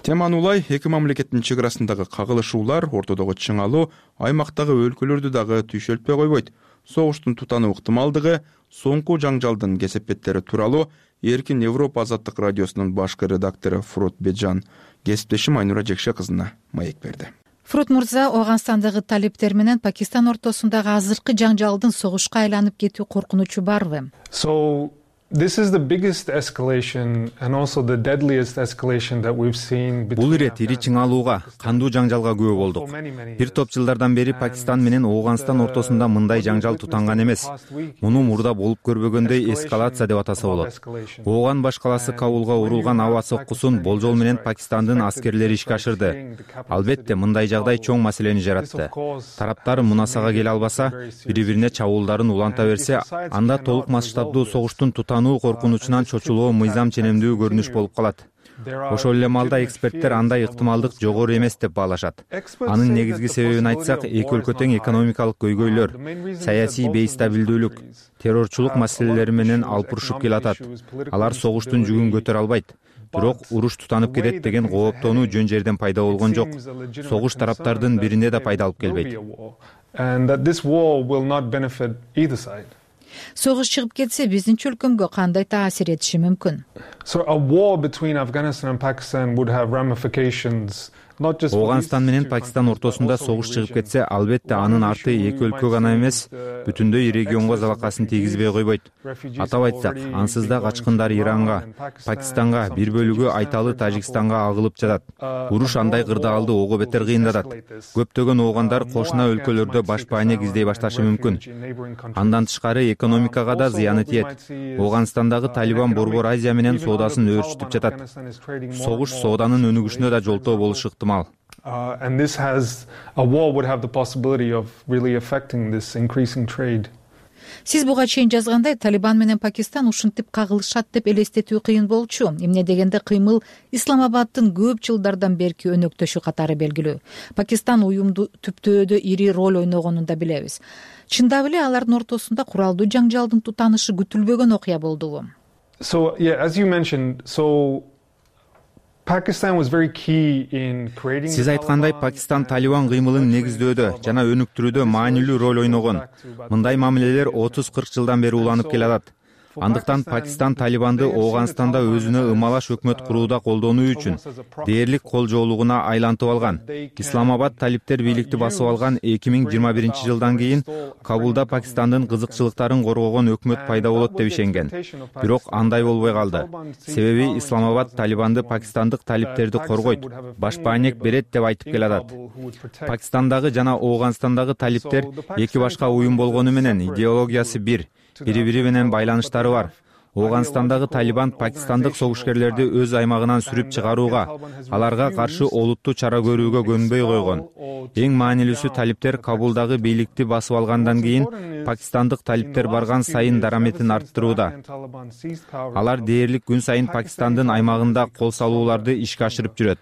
Теманы улай эки мамлекеттин чек арасындагы кагылышуулар, ортодогу чыңалуу аймактагы өлкөлөрдү дагы түйшөлтпөй койбойт. Согуштун тутануу ыктымалдыгы, соңку жаңжалдын кесепеттери тууралуу Эркин Европа Азаттык радиосунун башкы редактору Фурут Беджан кесиптешим Айнура Жекше кызына маек берди. Фурут мырза, Ооганстандагы талиптер менен Пакистан ортосундагы азыркы жаңжалдын согушка айланып кетүү коркунучу барбы? So this is the biggest escalation and also the deadliest escalation that we've seen. Бул ирет ири чыңалууга, кандуу жаңжалга күбө болдук. Бир топ жылдардан бери Пакистан менен Ооганстан ортосунда мындай жаңжал тутанган эмес. Муну мурда болуп көрбөгөндөй эскалация деп атаса болот. Ооган баш калаасы Кабулга урулган аба соккусун болжол менен Пакистандын аскерлери ишке ашырды. Албетте, мындай жагдай чоң маселени жаратты. Тараптар мунасага келе албаса, бири-бирине чабуулдарын уланта берсе, анда толук масштабдуу согуштун тутануу коркунучунан чочулоо мыйзам ченемдүү көрүнүш болуп калат. Ошол эле маалда эксперттер андай ыктымалдык жогору эмес деп баалашат. Анын негизги себебин айтсак, эки өлкө тең экономикалык көйгөйлөр, саясий бейстабилдүүлүк, террорчулук маселелери менен алпурушуп келатат. Алар согуштун жүгүн көтөрө албайт. Бирок уруш тутанып кетет деген кооптонуу жөн жерден пайда болгон жок. Согуш тараптардын бирине да пайда алып келбейт. Согуш чыгып кетсе, биздин чөлкөмгө кандай таасир этиши мүмкүн? So a war between Afghanistan and Pakistan would have ramifications. Ооганстан менен Пакистан ортосунда согуш чыгып кетсе, албетте анын арты эки өлкө гана эмес, бүтүндөй регионго залакасын тийгизбей койбойт. Атап айтсак, ансыз да качкындар Иранга, Пакистанга, бир бөлүгү Айталы Тажикстанга агылып жатат. Уруш андай кырдаалды ого бетер кыйындатат. Көптөгөн оогандар кошуна өлкөлөрдө баш баанек издей башташы мүмкүн. Андан тышкары экономикага да зыяны тиет. Ооганстандагы Талибан Борбор Азия менен соодасын өөрчүтүп жатат. Согуш сооданын өнүгүшүнө да жолтоо болушу ыктымал. Uh, and this has a war would have the possibility of really affecting this increasing trade. Сиз буга чейин жазгандай, Талибан менен Пакистан ушинтип кагылышат деп элестетүү кыйын болчу. Эмне дегенде кыймыл Исламабаддын көп жылдардан берки өнөктөшү катары белгилүү. Пакистан уюмду түптөөдө ири роль ойногонун да билебиз. Чындап эле алардын ортосунда куралдуу жаңжалдын тутанышы күтүлбөгөн окуя болдубу? So yeah, as you mentioned, so Сиз айткандай, Пакистан Талибан кыймылын негиздөөдө жана өнүктүрүүдө маанилүү роль ойногон. Мындай мамилелер отуз кырк жылдан бери уланып келатат. Андыктан Пакистан Талибанды Ооганстанда өзүнө ымалаш өкмөт курууда колдонуу үчүн дээрлик кол жоолугуна айлантып алган. Исламабад талиптер бийликти басып алган эки миң жыйырма биринчи жылдан кийин Кабулда Пакистандын кызыкчылыктарын коргогон өкмөт пайда болот деп ишенген. Бирок андай болбой калды. Себеби Исламабад Талибанды пакистандык талиптерди коргойт, баш баанек берет деп айтып келатат. Пакистандагы жана Ооганстандагы талиптер эки башка уюм болгону менен идеологиясы бир, бири-бири менен байланыштары бар. Ооганстандагы Талибан пакистандык согушкерлерди өз аймагынан сүрүп чыгарууга, аларга каршы олуттуу чара көрүүгө көнбөй койгон. Эң маанилүүсү, талиптер Кабулдагы бийликти басып алгандан кийин пакистандык талиптер барган сайын дараметин арттырууда. Алар дээрлик күн сайын Пакистандын аймагында кол салууларды ишке ашырып жүрөт.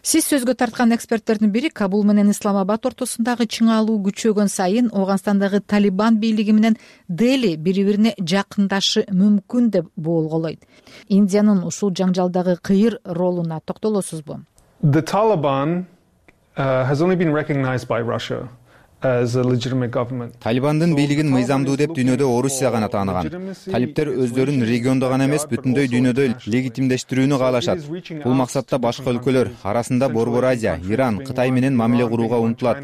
Сиз сөзгө тарткан эксперттердин бири Кабул менен Исламабад ортосундагы чыңалуу күчөгөн сайын Ооганстандагы Талибан бийлиги менен Дели бири-бирине жакындашы мүмкүн деп боолголойт. Индиянын ушул жаңжалдагы кыйыр ролуна токтолосузбу? The Taliban uh, has only been recognized by Russia. Талибандын бийлигин мыйзамдуу деп дүйнөдө Орусия гана тааныган. Талиптер өздөрүн региондо гана эмес, бүтүндөй дүйнөдө легитимдештирүүнү каалашат. Бул максатта башка өлкөлөр, арасында Борбор Азия, Иран, Кытай менен мамиле курууга умтулат.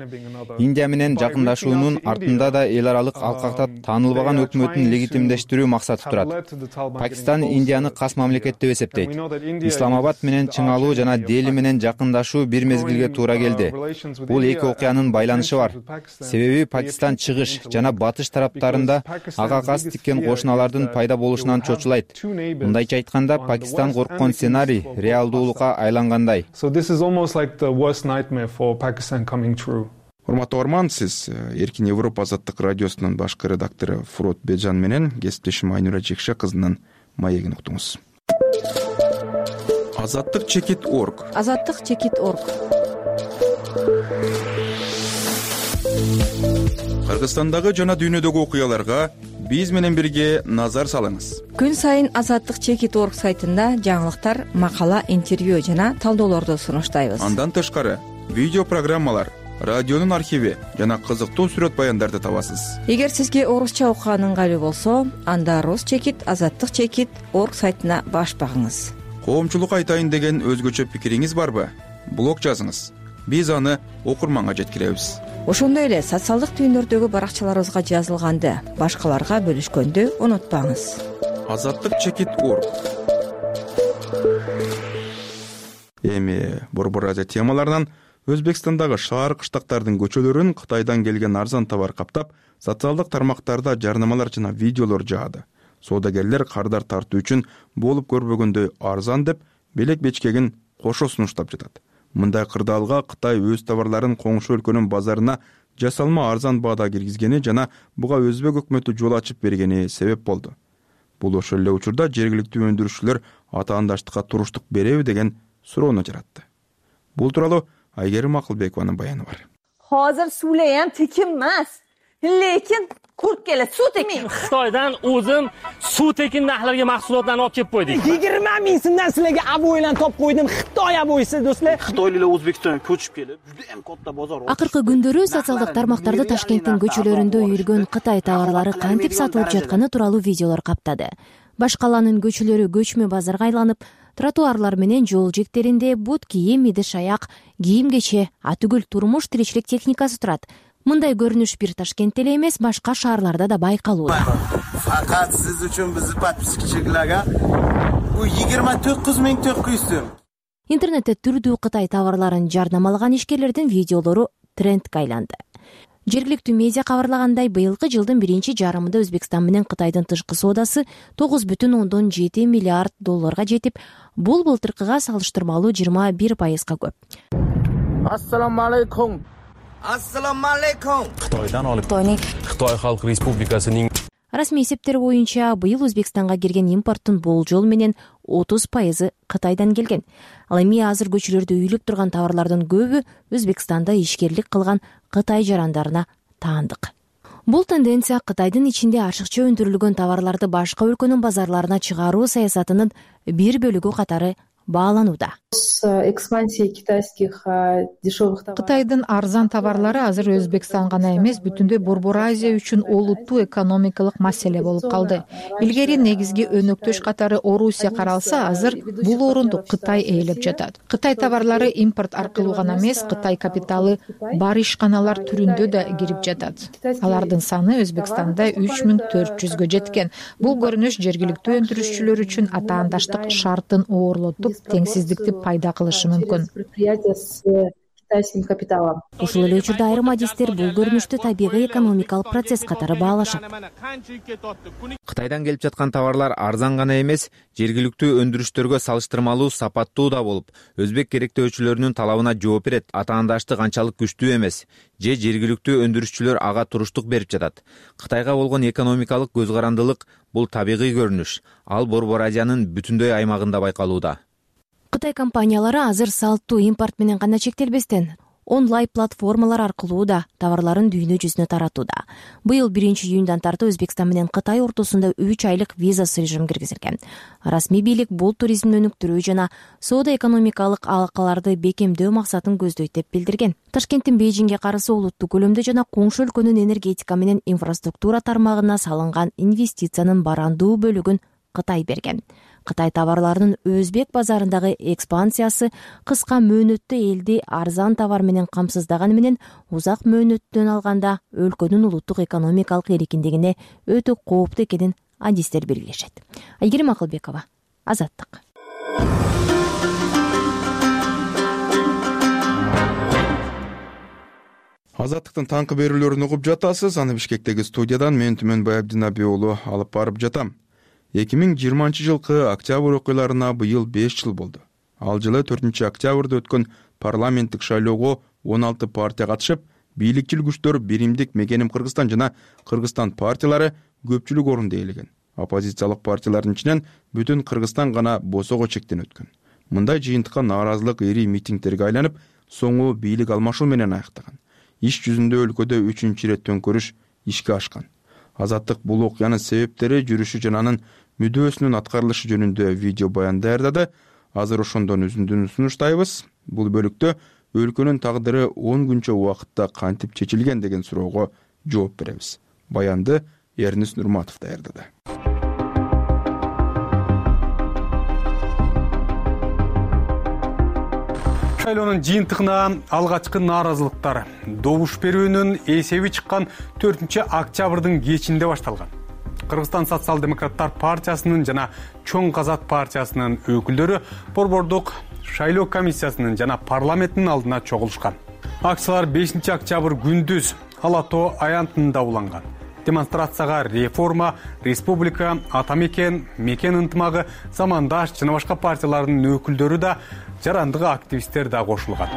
Индия менен жакындашуунун артында да эл аралык алкакта таанылбаган өкмөтүн легитимдештирүү максаты турат. Пакистан Индияны кас мамлекет деп эсептейт. Исламабад менен чыңалуу жана Дели менен жакындашуу бир мезгилге туура келди. Бул эки окуянын байланышы бар. Себеби Пакистан чыгыш жана батыш тараптарында ага кас тиккен кошуналардын пайда болушунан чочулайт. Мындайча айтканда, Пакистан корккон сценарий реалдуулукка айлангандай. урматтуу угарман, сиз Эркин Европа азаттык радиосунун башкы редактору Фурот Бежан менен кесиптешим Айнура Жекше кызынын маегин уктуңуз. Азаттык чекит орг. Азаттык чекит орг. Кыргызстандагы жана дүйнөдөгү окуяларга биз менен бирге назар салыңыз. Күн сайын азаттык чекит орг сайтында жаңылыктар, макала, интервью жана талдоолорду сунуштайбыз. Андан тышкары видео программалар, радионун архиви жана кызыктуу сүрөт баяндарды табасыз. Эгер сизге орусча окуган ыңгайлуу болсо, анда рус чекит, азаттык чекит орг сайтына баш багыңыз. Коомчулукка айтайын деген өзгөчө пикириңиз барбы? Блог жазыңыз. Биз аны окурманга жеткиребиз. Ошондой эле социалдык түйүндөрдөгү баракчаларыбызга жазылганды башкаларга бөлүшкөндү унутпаңыз. Азаттык чекит орг. Эми Борбор Азия темаларынан Өзбекстандагы шаар кыштактардын көчөлөрүн Кытайдан келген арзан товар каптап, социалдык тармактарда жарнамалар жана видеолор жаады. Соодагерлер кардар тартуу үчүн болуп көрбөгөндөй арзан деп белек бечкегин кошо сунуштап жатат. Мындай кырдаалга Кытай өз товарларын коңшу өлкөнүн базарына жасалма арзан баада киргизгени жана буга өзбек өкмөтү жол ачып бергени себеп болду. Бул ошол эле учурда жергиликтүү өндүрүүчүлөр атаандаштыкка туруштук береби деген суроону жаратты. Бул тууралуу Айгерим Акылбекованын баяны бар. Hozir suvlayam tekin emas, lekin qurt keladi, suv tekin. Xitoydan o'zim suv tekin narxlarga mahsulotlarni olib kelib qo'ydik. yigirma ming so'mdan sizlarga aboylan topib qo'ydim. Xitoy aboyisi do'stlar. Xitoyliklar O'zbekistonga ko'chib kelib, juda ham katta bozor. Акыркы күндөрү социалдык тармактарда Ташкенттин көчөлөрүндө үйүлгөн Кытай товарлары кантип сатылып жатканы тууралуу видеолор каптады. Баш калаанын көчөлөрү көчмө базарга айланып, тротуарлар менен жол жектеринде бут кийим, идиш аяк, кийим-кече, атүгүл турмуш тиричилик техникасы турат. Мындай көрүнүш бир Ташкентте эле эмес, башка шаарларда да байкалууда. Факат сиз үчүн биздин подписчилерге бу жыйырма тогуз миң төрт жүз сом. Интернетте түрдүү Кытай товарларын жарнамалаган ишкерлердин видеолору трендке айланды. Жергиликтүү медиа кабарлагандай, быйылкы жылдын биринчи жарымында Өзбекстан менен Кытайдын тышкы соодасы тогуз бүтүн ондон жети миллиард долларга жетип, бул былтыркыга салыштырмалуу жыйырма бир пайызга көп. Ассаламу алейкум. Ассаламу алейкум. Кытайдан алып Кытай Халк Республикасынын Расмий эсептер боюнча быйыл Өзбекстанга кирген импорттун болжол менен отуз пайызы Кытайдан келген. Ал эми азыр көчөлөрдө үйүлүп турган товарлардын көбү Өзбекстанда ишкерлик кылган Кытай жарандарына таандык. Бул тенденция Кытайдын ичинде ашыкча өндүрүлгөн товарларды башка өлкөнүн базарларына чыгаруу саясатынын бир бөлүгү катары бааланууда. Кытайдын арзан товарлары азыр Өзбекстан гана эмес, бүтүндөй Борбор Азия үчүн олуттуу экономикалык маселе болуп калды. Илгери негизги өнөктөш катары Орусия каралса, азыр бул орунду Кытай ээлеп жатат. Кытай товарлары импорт аркылуу гана эмес, Кытай капиталы бар ишканалар түрүндө да кирип жатат. Алардын саны Өзбекстанда үч миң төрт жүзгө жеткен. Бул көрүнүш жергиликтүү өндүрүшчүлөр үчүн атаандаштык шартын оорлотуп, теңсиздикти пайда кылышы мүмкүн. Ушул эле учурда айрым адистер бул көрүнүштү табигый экономикалык процесс катары баалашат. Кытайдан келип жаткан товарлар арзан гана эмес, жергиликтүү өндүрүштөргө салыштырмалуу сапаттуу да болуп, өзбек керектөөчүлөрүнүн талабына жооп берет. Атаандаштык анчалык күчтүү эмес, же жергиликтүү өндүрүшчүлөр ага туруштук берип жатат. Кытайга болгон экономикалык көз карандылык бул табигый көрүнүш. Ал Борбор Азиянын бүтүндөй аймагында байкалууда. Кытай компаниялары азыр салттуу импорт менен гана чектелбестен, онлайн платформалар аркылуу да товарларын дүйнө жүзүнө таратууда. Быйыл биринчи июндан тартып Өзбекстан менен Кытай ортосунда үч айлык визасыз режим киргизилген. Расмий бийлик бул туризмди өнүктүрүү жана соода экономикалык алакаларды бекемдөө максатын көздөйт деп билдирген. Ташкенттин Бейжиңге карысы олуттуу көлөмдө жана коңшу өлкөнүн энергетика менен инфраструктура тармагына салынган инвестициянын барандуу бөлүгүн Кытай берген. Кытай товарларынын өзбек базарындагы экспансиясы кыска мөөнөттө элди арзан товар менен камсыздаганы менен узак мөөнөттөн алганда өлкөнүн улуттук экономикалык эркиндигине өтө кооптуу экенин адистер белгилешет. Айгерим Акылбекова, Азаттык. Азаттыктын таңкы берүүлөрүн угуп жатасыз. Аны Бишкектеги студиядан мен Түмөнбай Абдинабий уулу алып барып жатам. эки миң жыйырманчы жылкы октябрь окуяларына быйыл беш жыл болду. Ал жылы төртүнчү октябрда өткөн парламенттик шайлоого он алты партия катышып, бийликчил күчтөр Биримдик Мекеним Кыргызстан жана Кыргызстан партиялары көпчүлүк орунду ээлеген. Оппозициялык партиялардын ичинен бүтүн Кыргызстан гана босого чектен өткөн. Мындай жыйынтыкка нааразылык ири митингтерге айланып, соңу бийлик алмашуу менен аяктаган. Иш жүзүндө өлкөдө үчүнчү ирет төңкөрүш ишке ашкан. Азаттык бул окуянын себептери, жүрүшү жана анын мүдөөсүнүн аткарылышы жөнүндө видео баян даярдады. Азыр ошондон үзүндүн сунуштайбыз. Бул бөлүктө өлкөнүн тагдыры он күнчө убакытта кантип чечилген деген суроого жооп беребиз. Баянды Эрнис Нурматов даярдады. Шайлоонун жыйынтыгына алгачкы нааразылыктар добуш берүүнүн эсеби чыккан төртүнчү октябрдын кечинде башталган. Кыргызстан социал-демократтар партиясынын жана Чоң Казак партиясынын өкүлдөрү Борбордук шайлоо комиссиясынын жана парламенттин алдына чогулушкан. Акциялар бешинчи октябрь күндүз Ала Тоо аянтында уланган. Демонстрацияга Реформа, Республика, Ата Мекен, Мекен ынтымагы, Замандаш жана башка партиялардын өкүлдөрү да, жарандык активисттер да кошулган.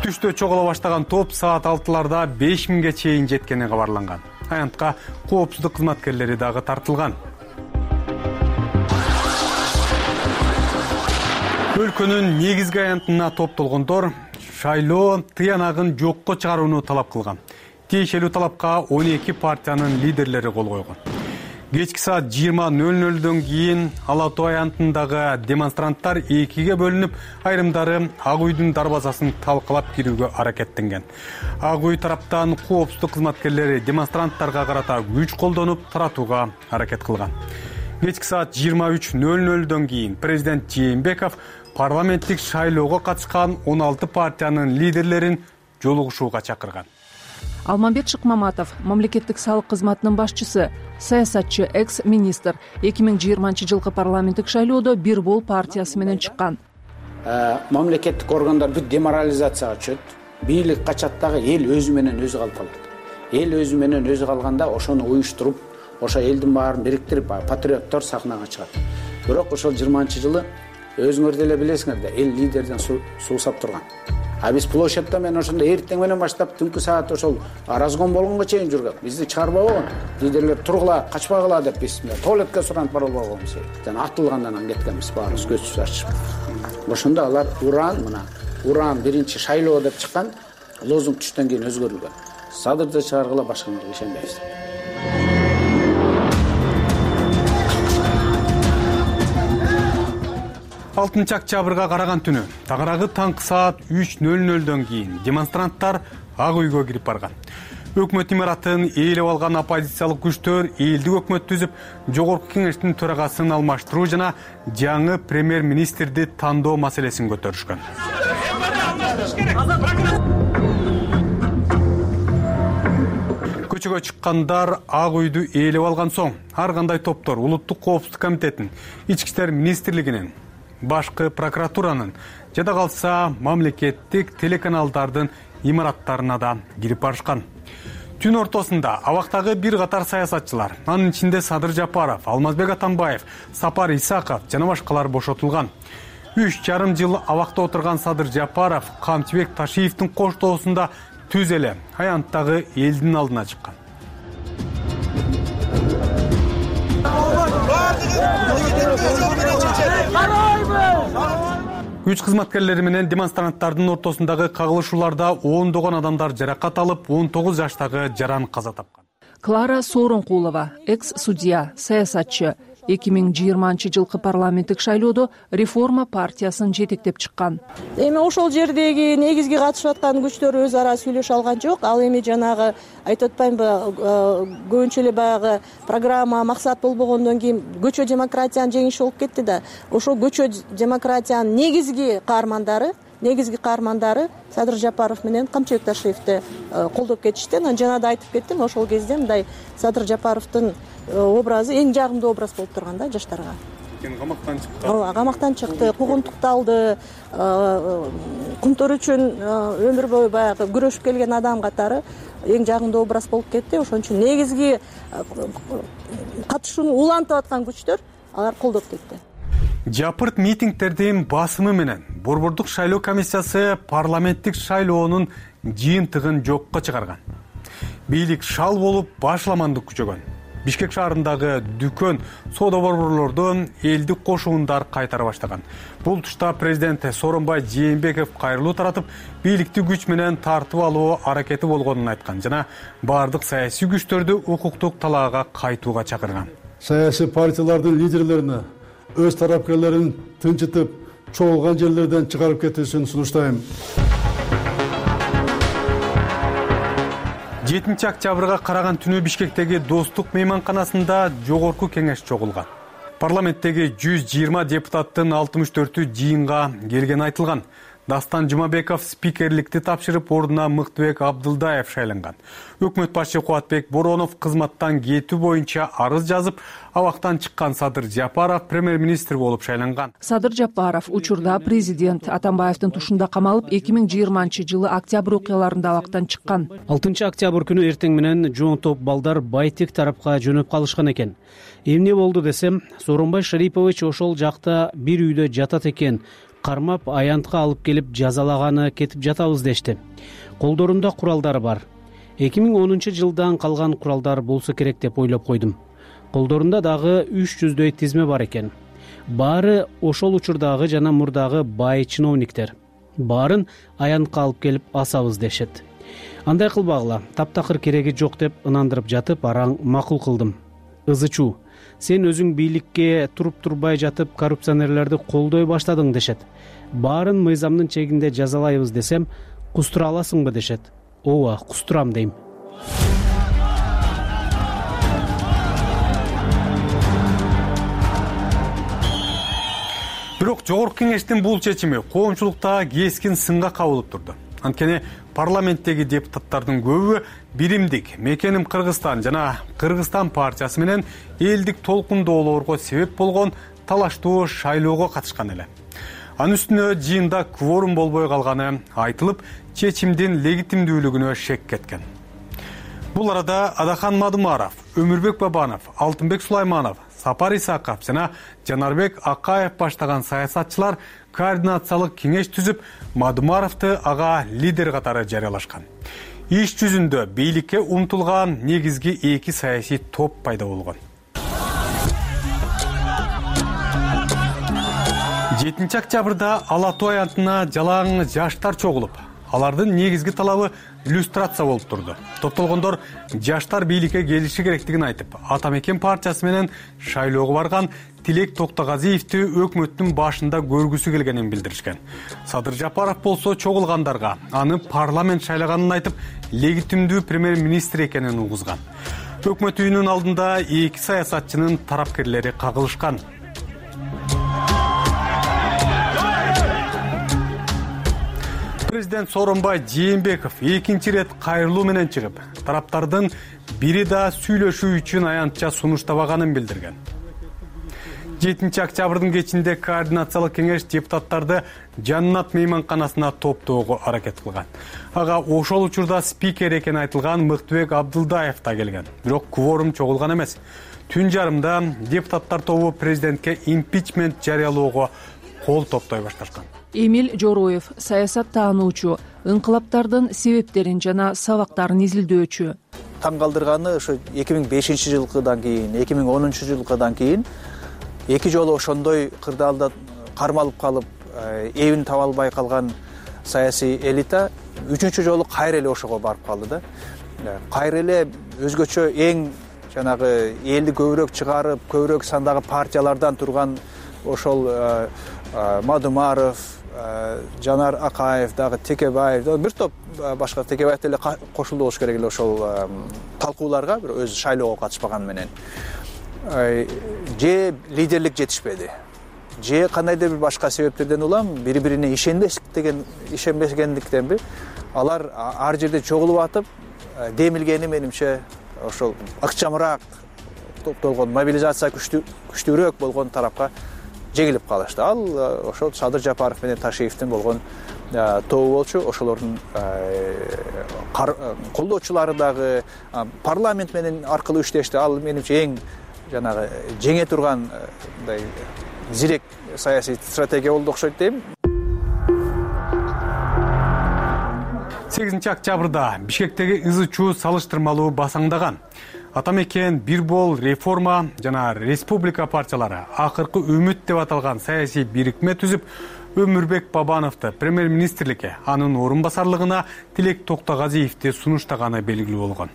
Түштө чогула баштаган топ саат алтыларда беш миңге чейин жеткени кабарланган. Аянтка коопсуздук кызматкерлери дагы тартылган. Өлкөнүн негизги аянтына топтолгондор шайлоо тыянагын жокко чыгарууну талап кылган. Тиешелүү талапка он эки партиянын лидерлери кол койгон. Кечки саат жыйырма нөл нөлдөн кийин Ала Тоо аянтындагы демонстранттар экиге бөлүнүп, айрымдары Ак үйдүн дарбазасын талкалап кирүүгө аракеттенген. Ак үй тараптан коопсуздук кызматкерлери демонстранттарга карата күч колдонуп, таратууга аракет кылган. Кечки саат жыйырма үч нөл нөлдөн кийин президент Жээнбеков парламенттик шайлоого катышкан он алты партиянын лидерлерин жолугушууга чакырган. Алмамбет Шыкмаматов, мамлекеттик салык кызматынын башчысы, саясатчы, экс-министр, эки миң жыйырманчы жылкы парламенттик шайлоодо Бир Бол партиясы менен чыккан. Мамлекеттик органдар бүт деморализацияга түшөт. Бийлик качат дагы, эл өзү менен өзү калып калат. Эл өзү менен өзү калганда ошону уюштуруп, ошо элдин баарын бириктирип, патриоттор сахнага чыгат. Бирок ошол жыйырманчы жылы өзүңөр деле билесиңер да, эл лидерден суусап турган. А биз площадьта мен ошондо эртең менен баштап түнкү саат ошол разгон болгонго чейин жүргөн. Бизди чыгарбай койгон. Лидерлер тургула, качпагыла деп биз туалетке суранып бара албаганбыз. Жана атылгандан анан кеткенбиз, баарыбыз көзсүз ачып. Ошондо алар уран, мына уран биринчи шайлоо деп чыккан, лозунг түштөн кийин өзгөрүлгөн. Садырды чыгаргыла, башкаларга ишенбейбиз. алтынчы октябрга караган түнү тагыраагы таңкы саат үч нөл нөлдөн кийин демонстранттар Ак үйгө кирип барган. Өкмөт имаратын ээлеп алган оппозициялык күчтөр элдик өкмөт түзүп, жогорку кеңештин төрагасын алмаштыруу жана жаңы премьер-министрди тандоо маселесин көтөрүшкөн. Көчөгө чыккандар Ак үйдү ээлеп алган соң, ар кандай топтор Улуттук коопсуздук комитетин, Ички иштер министрлигинин, башкы прокуратуранын, жада калса мамлекеттик телеканалдардын имараттарына да кирип барышкан. Түн ортосунда абактагы бир катар саясатчылар, анын ичинде Садыр Жапаров, Алмазбек Атамбаев, Сапар Исаков жана башкалар бошотулган. Үч жарым жыл абакта отурган Садыр Жапаров Камчыбек Ташиевдин коштоосунда түз эле аянттагы элдин алдына чыккан. Күч кызматкерлери менен демонстранттардын ортосундагы кагылышууларда ондогон адамдар жаракат алып, он тогуз жаштагы жаран каза тапкан. Клара Сооронкулова, экс-судья, саясатчы, эки миң жыйырманчы жылкы парламенттик шайлоодо Реформа партиясын жетектеп чыккан. Эми ошол жердеги негизги катышып аткан күчтөр өз ара сүйлөшө алган жок. Ал эми жанагы айтып атпаймынбы, көбүнчө эле баягы программа максат болбогондон кийин көчө демократиянын жеңиши болуп кетти да. Ошол көчө демократиянын негизги каармандары негизги каармандары Садыр Жапаров менен Камчыбек Ташиевди колдоп кетишти. Анан жана да айтып кеттим, ошол кезде мындай Садыр Жапаровдун образы эң жагымдуу образ болуп турган да жаштарга. Камактан чыкты. Ооба, камактан чыкты, куугунтукталды, кумтор үчүн өмүр бою баягы күрөшүп келген адам катары эң жагымдуу образ болуп кетти. Ошон үчүн негизги катышууну улантып аткан күчтөр алар колдоп кетти. Жапырт митингдердин басымы менен Борбордук шайлоо комиссиясы парламенттик шайлоонун жыйынтыгын жокко чыгарган. Бийлик шал болуп башламандык күчөгөн. Бишкек шаарындагы дүкөн, соода борборлордон элдик кошуундар кайтара баштаган. Бул тушта президент Сооронбай Жээнбеков кайрылуу таратып, бийликти күч менен тартып алуу аракети болгонун айткан жана бардык саясий күчтөрдү укуктук талаага кайтууга чакырган. Саясий партиялардын лидерлерине өз тарапкерлерин тынчытып, чогулган жерлерден чыгарып кетүүсүн сунуштайм. жетинчи октябрга караган түнү Бишкектеги Достук мейманканасында жогорку кеңеш чогулган. Парламенттеги жүз жыйырма депутаттын алтымыш төртү жыйынга келгени айтылган. Дастан Жумабеков спикерликти тапшырып, ордуна Мыктыбек Абдылдаев шайланган. Өкмөт башчы Кубатбек Боронов кызматтан кетүү боюнча арыз жазып, абактан чыккан Садыр Жапаров премьер-министр болуп шайланган. Садыр Жапаров учурда президент Атамбаевдин тушунда камалып, эки миң жыйырманчы жылы октябрь окуяларында абактан чыккан. алтынчы октябрь күнү эртең менен жоң топ балдар Байтек тарапка жөнөп калышкан экен. Эмне болду десем, Сооронбай Шарипович ошол жакта бир үйдө жатат экен. Кармап аянтка алып келип жазалаганы кетип жатабыз дешти. Колдорунда куралдары бар. эки миң онунчу жылдан калган куралдар болсо керек деп ойлоп койдум. Колдорунда дагы үч жүздөй тизме бар экен. Баары ошол учурдагы жана мурдагы бай чиновниктер. Баарын аянтка алып келип асабыз дешет. Андай кылбагыла, таптакыр кереги жок деп ынандырып жатып, араң макул кылдым. Ызычуу, сен өзүң бийликке туруп турбай жатып коррупционерлерди колдой баштадың дешет. Баарын мыйзамдын чегинде жазалайбыз десем, кустура аласыңбы дешет. Ооба, кустурам дейм. Бирок жогорку кеңештин бул чечими коомчулукта кескин сынга кабылып турду. Анткени парламенттеги депутаттардын көбү биримдик Мекеним Кыргызстан жана Кыргызстан партиясы менен элдик толкундоолорго себеп болгон талаштуу шайлоого катышкан эле. Анын үстүнө жыйында кворум болбой калганы айтылып, чечимдин легитимдүүлүгүнө шек кеткен. Бул арада Адахан Мадумаров, Өмүрбек Бабанов, Алтынбек Сулайманов, Сапар Исаков жана Жанарбек Акаев баштаган саясатчылар координациялык кеңеш түзүп, Мадумаровду ага лидер катары жарыялашкан. Иш жүзүндө бийликке умтулган негизги эки саясий топ пайда болгон. жетинчи октябрда Ала Тоо аянтына жалаң жаштар чогулуп, алардын негизги талабы иллюстрация болуп турду. Топтолгондор жаштар бийликке келиши керектигин айтып, Ата Мекен партиясы менен шайлоого барган Тилек Токтогазиевди өкмөттүн башында көргүсү келгенин билдиришкен. Садыр Жапаров болсо чогулгандарга аны парламент шайлаганын айтып, легитимдүү премьер-министр экенин угузган. Өкмөт үйүнүн алдында эки саясатчынын тарапкерлери кагылышкан. Президент Сооронбай Жээнбеков экинчи рет кайрылуу менен чыгып, тараптардын бири да сүйлөшүү үчүн аянтча сунуштабаганын билдирген. жетинчи октябрдын кечинде координациялык кеңеш депутаттарды Жаннат мейманканасына топтоого аракет кылган. Ага ошол учурда спикер экени айтылган Мыктыбек Абдылдаев да келген. Бирок кворум чогулган эмес. Түн жарымда депутаттар тобу президентке импичмент жарыялоого кол топтой башташкан. Эмил Жороев, саясат таануучу, ыңкылаптардын себептерин жана сабактарын изилдөөчү. Таң калтырганы ошо эки миң бешинчи жылкыдан кийин, эки миң онунчу жылкыдан кийин эки жолу ошондой кырдаалда кармалып калып, эбин таба албай калган саясий элита үчүнчү жолу кайра эле ошого барып калды да. Кайра эле өзгөчө эң жанагы элди көбүрөөк чыгарып, көбүрөөк сандагы партиялардан турган ошол Мадумаров, Жанар Акаев дагы Текебаев, бир топ башка Текебаев деле кошулду болуш керек эле ошол талкууларга, бир өзү шайлоого катышпаган менен. Же лидерлик жетишпеди, же кандайдыр бир башка себептерден улам бири-бирине ишенбестиктен ишенбегендиктенби алар ар жерде чогулуп атып, демилгени менимче ошол ыкчамыраак топтолгон, мобилизация күчтүүрөөк болгон тарапка жегилип калышты. Ал ошол Садыр Жапаров менен Ташиевдин болгон тобу болчу. Ошолордун колдоочулары дагы парламент менен аркылуу иштешти. Ал менимче эң жанагы жеңе турган мындай зирек саясий стратегия болду окшойт дейм. сегизинчи октябрда Бишкектеги ызы чуу салыштырмалуу басаңдаган. Атамекен, Бир бол, Реформа жана Республика партиялары акыркы үмүт деп аталган саясий бирикме түзүп, Өмүрбек Бабановду премьер-министрликке, анын орун басарлыгына Тилек Токтогазиевди сунуштаганы белгилүү болгон.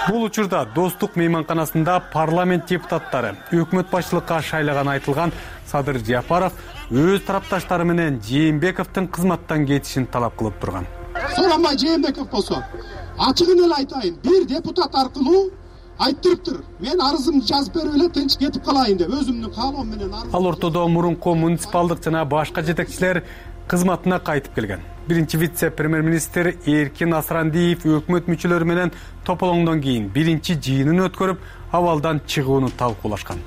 Бул учурда Достук мейманканасында парламент депутаттары өкмөт башчылыкка шайлаганы айтылган Садыр Жапаров өз тарапташтары менен Жээнбековдун кызматтан кетишин талап кылып турган. Сорамай Жээнбеков болсо, ачыгын эле айтайын, бир депутат аркылуу айттырыптыр. Мен арызымды жазып берип эле тынч кетип калайын деп өзүмдүн каалоом менен арыз. Ал ортодо мурунку муниципалдык жана башка жетекчилер кызматына кайтып келген. Биринчи вице-премьер-министр Эркин Асрандиев өкмөт мүчөлөрү менен тополоңдон кийин биринчи жыйынын өткөрүп, абалдан чыгууну талкуулашкан.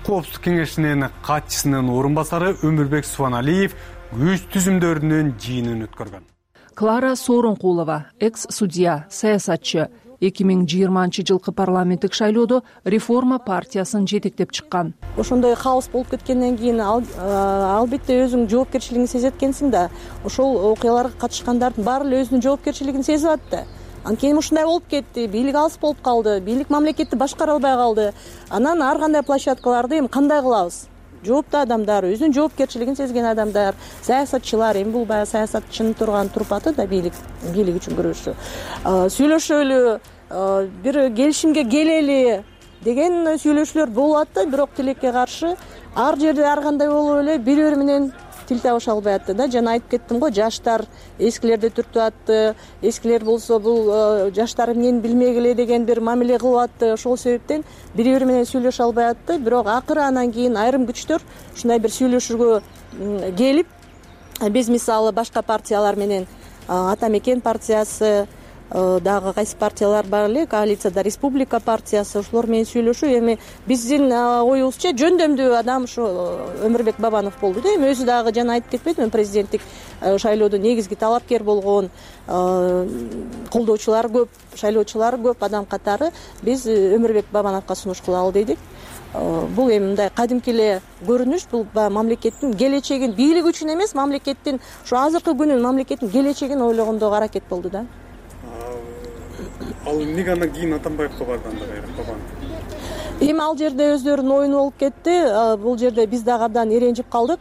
Коопсуздук кеңешинин катчысынын орун басары Өмүрбек Субаналиев күч түзүмдөрүнүн жыйынын өткөргөн. Клара Сооронкулова, экс-судья, саясатчы, эки миң жыйырманчы жылкы парламенттик шайлоодо Реформа партиясын жетектеп чыккан. Ошондой хаос болуп кеткенден кийин албетте өзүң жоопкерчилигиңди сезет экенсиң да, ошол окуяларга катышкандардын баары эле өзүнүн жоопкерчилигин сезип атты. Анткени ушундай болуп кетти, бийлик алыс болуп калды, бийлик мамлекетти башкара албай калды. Анан ар кандай площадкаларды эми кандай кылабыз? Жооптуу адамдар, өзүнүн жоопкерчилигин сезген адамдар, саясатчылар, эми бул баягы саясатчынын турган турпаты да бийлик, бийлик үчүн күрөшүү. Сүйлөшөлү, бир келишимге келели деген сүйлөшүүлөр болуп атты, бирок тилекке каршы ар жерде ар кандай болуп эле бири-бири менен тил табыша албай атты да. Жана айтып кеттим го, жаштар эскилерди түртүп атты, эскилер болсо бул жаштар эмнени билмек эле деген бир мамиле кылып атты. Ошол себептен бири-бири менен сүйлөшө албай атты, бирок акыры анан кийин айрым күчтөр ушундай бир сүйлөшүүгө келип, биз мисалы башка партиялар менен Атамекен партиясы, дагы кайсы партиялар бар эле, коалицияда Республика партиясы, ошолор менен сүйлөшүү. Эми биздин оюбузча жөндөмдүү адам ушу Өмүрбек Бабанов болду да. Эми өзү дагы жана айтып кетпедимби, президенттик шайлоодо негизги талапкер болгон, колдоочулар көп, шайлоочулар көп адам катары биз Өмүрбек Бабановго сунуш кылалы дедик. Бул эми мындай кадимки эле көрүнүш, бул мамлекеттин келечегин, бийлик үчүн эмес, мамлекеттин ушу азыркы күнүн, мамлекеттин келечегин ойлогондогу аракет болду да. Ал эмнеге андан кийин Атамбаевге барды анда кайра Бабанов? Эми ал жерде өздөрүнүн оюну болуп кетти. Бул жерде биз дагы абдан эренжип калдык.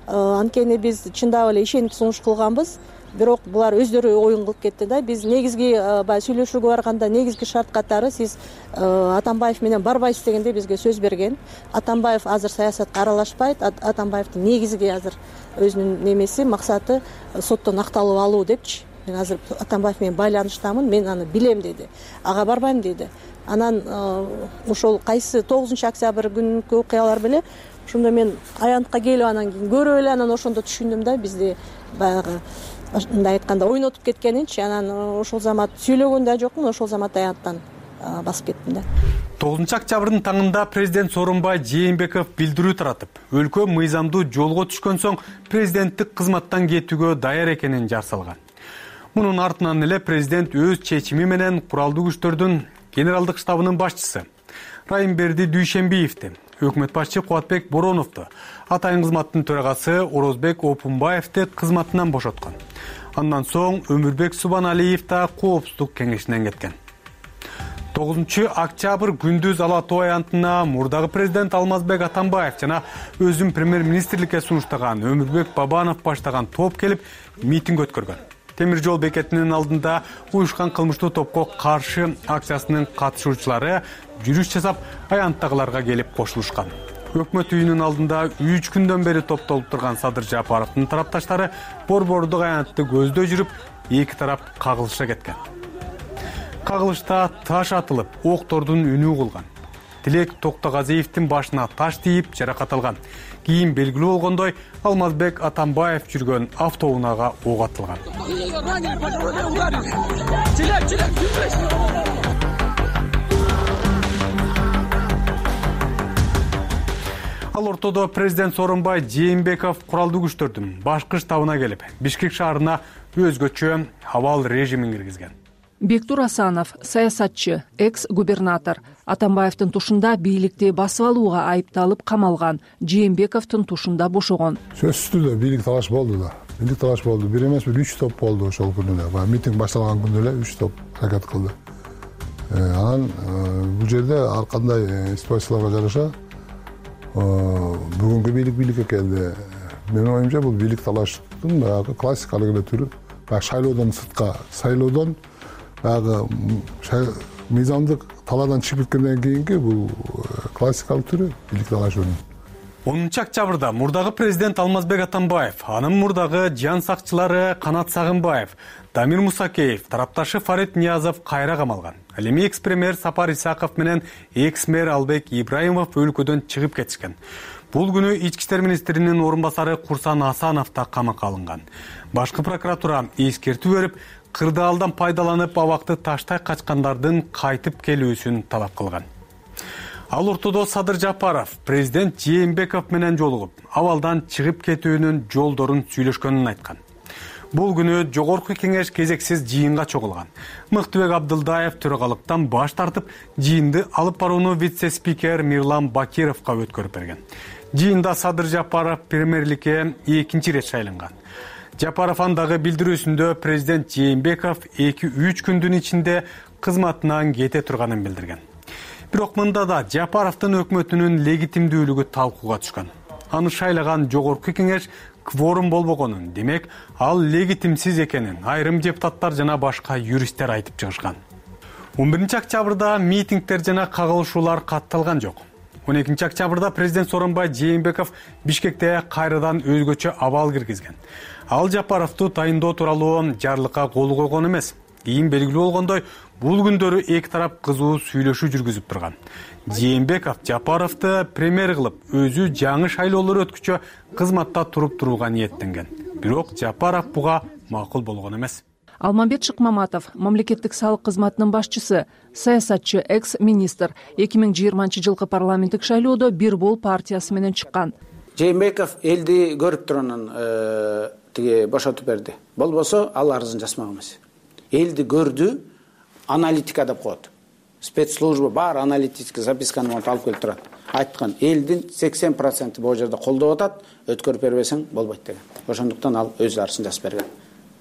Анткени биз чындап эле ишенип сунуш кылганбыз. Бирок булар өздөрү оюн кылып кетти да. Биз негизги баягы сүйлөшүүгө барганда негизги шарт катары сиз Атамбаев менен барбайсыз дегенде бизге сөз берген. Атамбаев азыр саясатка аралашпайт. Атамбаевдин негизги азыр өзүнүн немеси, максаты соттон акталып алуу депчи. Мен азыр Атамбаев менен байланыштамын, мен аны билем деди. Ага барбайм деди. Анан ошол кайсы тогузунчу октябрь күнкү окуялар беле, ошондо мен аянтка келип анан кийин көрүп эле анан ошондо түшүндүм да, бизди баягы мындай айтканда ойнотуп кеткенинчи. Анан ошол замат сүйлөгөн да жокмун, ошол замат аянттан басып кеттим да. тогузунчу октябрдын таңында президент Сооронбай Жээнбеков билдирүү таратып, өлкө мыйзамдуу жолго түшкөн соң президенттик кызматтан кетүүгө даяр экенин жар салган. Мунун артынан эле президент өз чечими менен куралдуу күчтөрдүн генералдык штабынын башчысы Райымберди Дүйшембиевди, өкмөт башчы Кубатбек Бороновду, атайын кызматтын төрагасы Орозбек Опунбаевди кызматынан бошоткон. Андан соң Өмүрбек Субаналиев да коопсуздук кеңешинен кеткен. тогузунчу октябрь күндүз Ала Тоо аянтына мурдагы президент Алмазбек Атамбаев жана өзүн премьер-министрликке сунуштаган Өмүрбек Бабанов баштаган топ келип митинг өткөргөн. Темир жол бекетинин алдында уюшкан кылмыштуу топко каршы акциясынын катышуучулары жүрүш жасап, аянттагыларга келип кошулушкан. Өкмөт үйүнүн алдында үч күндөн бери топтолуп турган Садыр Жапаровдун тарапташтары борбордук аянтты көздөй жүрүп, эки тарап кагылыша кеткен. Кагылышта таш атылып, октордун үнү угулган. Тилек Токтогазиевдин башына таш тийип жаракат алган. Кийин белгилүү болгондой, Алмазбек Атамбаев жүргөн автоунаага ок атылган. Ал ортодо президент Сооронбай Жээнбеков куралдуу күчтөрдүн башкы штабына келип, Бишкек шаарына өзгөчө абал режимин киргизген. Бектур Асанов саясатчы, экс губернатор. Атамбаевдин тушунда бийликти басып алууга айыпталып камалган. Жээнбековдун тушунда бошогон. Сөзсүз түрдө бийлик талаш болду да. Бийлик талаш болду. Бир эмес бир үч топ болду ошол күнү эле. Баягы митинг башталган күндө эле үч топ аракет кылды. Анан бул жерде ар кандай ситуацияларга жараша бүгүнкү бийлик бийликке келди. Менин оюмча бул бийлик талаштын баягы классикалык эле түрү. Баягы шайлоодон сыртка, шайлоодон баягы мыйзамдык талаадан чыгып кеткенден кийинки бул классикалык түрү бийлик талашынын. онунчу октябрда мурдагы президент Алмазбек Атамбаев, анын мурдагы жан сакчылары Канат Сагынбаев, Дамир Мусакеев, тарапташы Фарид Ниязов кайра камалган. Ал эми экс-премьер Сапар Исаков менен экс-мэр Албек Ибраимов өлкөдөн чыгып кетишкен. Бул күнү ички иштер министринин орун басары Курсан Асанов да камакка алынган. Башкы прокуратура эскертүү берип, кырдаалдан пайдаланып абакты таштай качкандардын кайтып келүүсүн талап кылган. Ал ортодо Садыр Жапаров президент Жээнбеков менен жолугуп, абалдан чыгып кетүүнүн жолдорун сүйлөшкөнүн айткан. Бул күнү жогорку кеңеш кезексиз жыйынга чогулган. Мыктыбек Абдылдаев төрагалыктан баш тартып, жыйынды алып барууну вице-спикер Мирлан Бакировго өткөрүп берген. Жыйында Садыр Жапаров премьерликке экинчи ирет шайланган. Жапаров андагы билдирүүсүндө президент Жээнбеков эки-үч күндүн ичинде кызматынан кете турганын билдирген. Бирок мында да Жапаровдун өкмөтүнүн легитимдүүлүгү талкууга түшкөн. Аны шайлаган жогорку кеңеш кворум болбогонун, демек, ал легитимсиз экенин айрым депутаттар жана башка юристтер айтып чыгышкан. он биринчи октябрда митингдер жана кагылышуулар катталган жок. он экинчи октябрда президент Сооронбай Жээнбеков Бишкекте кайрадан өзгөчө абал киргизген. Ал Жапаровду тайындоо тууралуу жарлыкка кол койгон эмес. Кийин белгилүү болгондой, бул күндөрү эки тарап кызуу сүйлөшүү жүргүзүп турган. Жээнбеков Жапаровду премьер кылып, өзү жаңы шайлоолор өткүчө кызматта туруп турууга ниеттенген. Бирок Жапаров буга макул болгон эмес. Алмамбет Шыкмаматов, мамлекеттик салык кызматынын башчысы, саясатчы, экс-министр, эки миң жыйырманчы жылкы парламенттик шайлоодо Бир Бол партиясы менен чыккан. Жээнбеков элди көрүп турганын тиги бошотуп берди. Болбосо ал арызын жазмак эмес. Элди көрдү, аналитика деп коет. Спецслужба бар аналитический записканы алып келип турат. Айткан, элдин сексен проценти бул жерде колдоп атат, өткөрүп бербесең болбойт деген. Ошондуктан ал өз арызын жазып берген.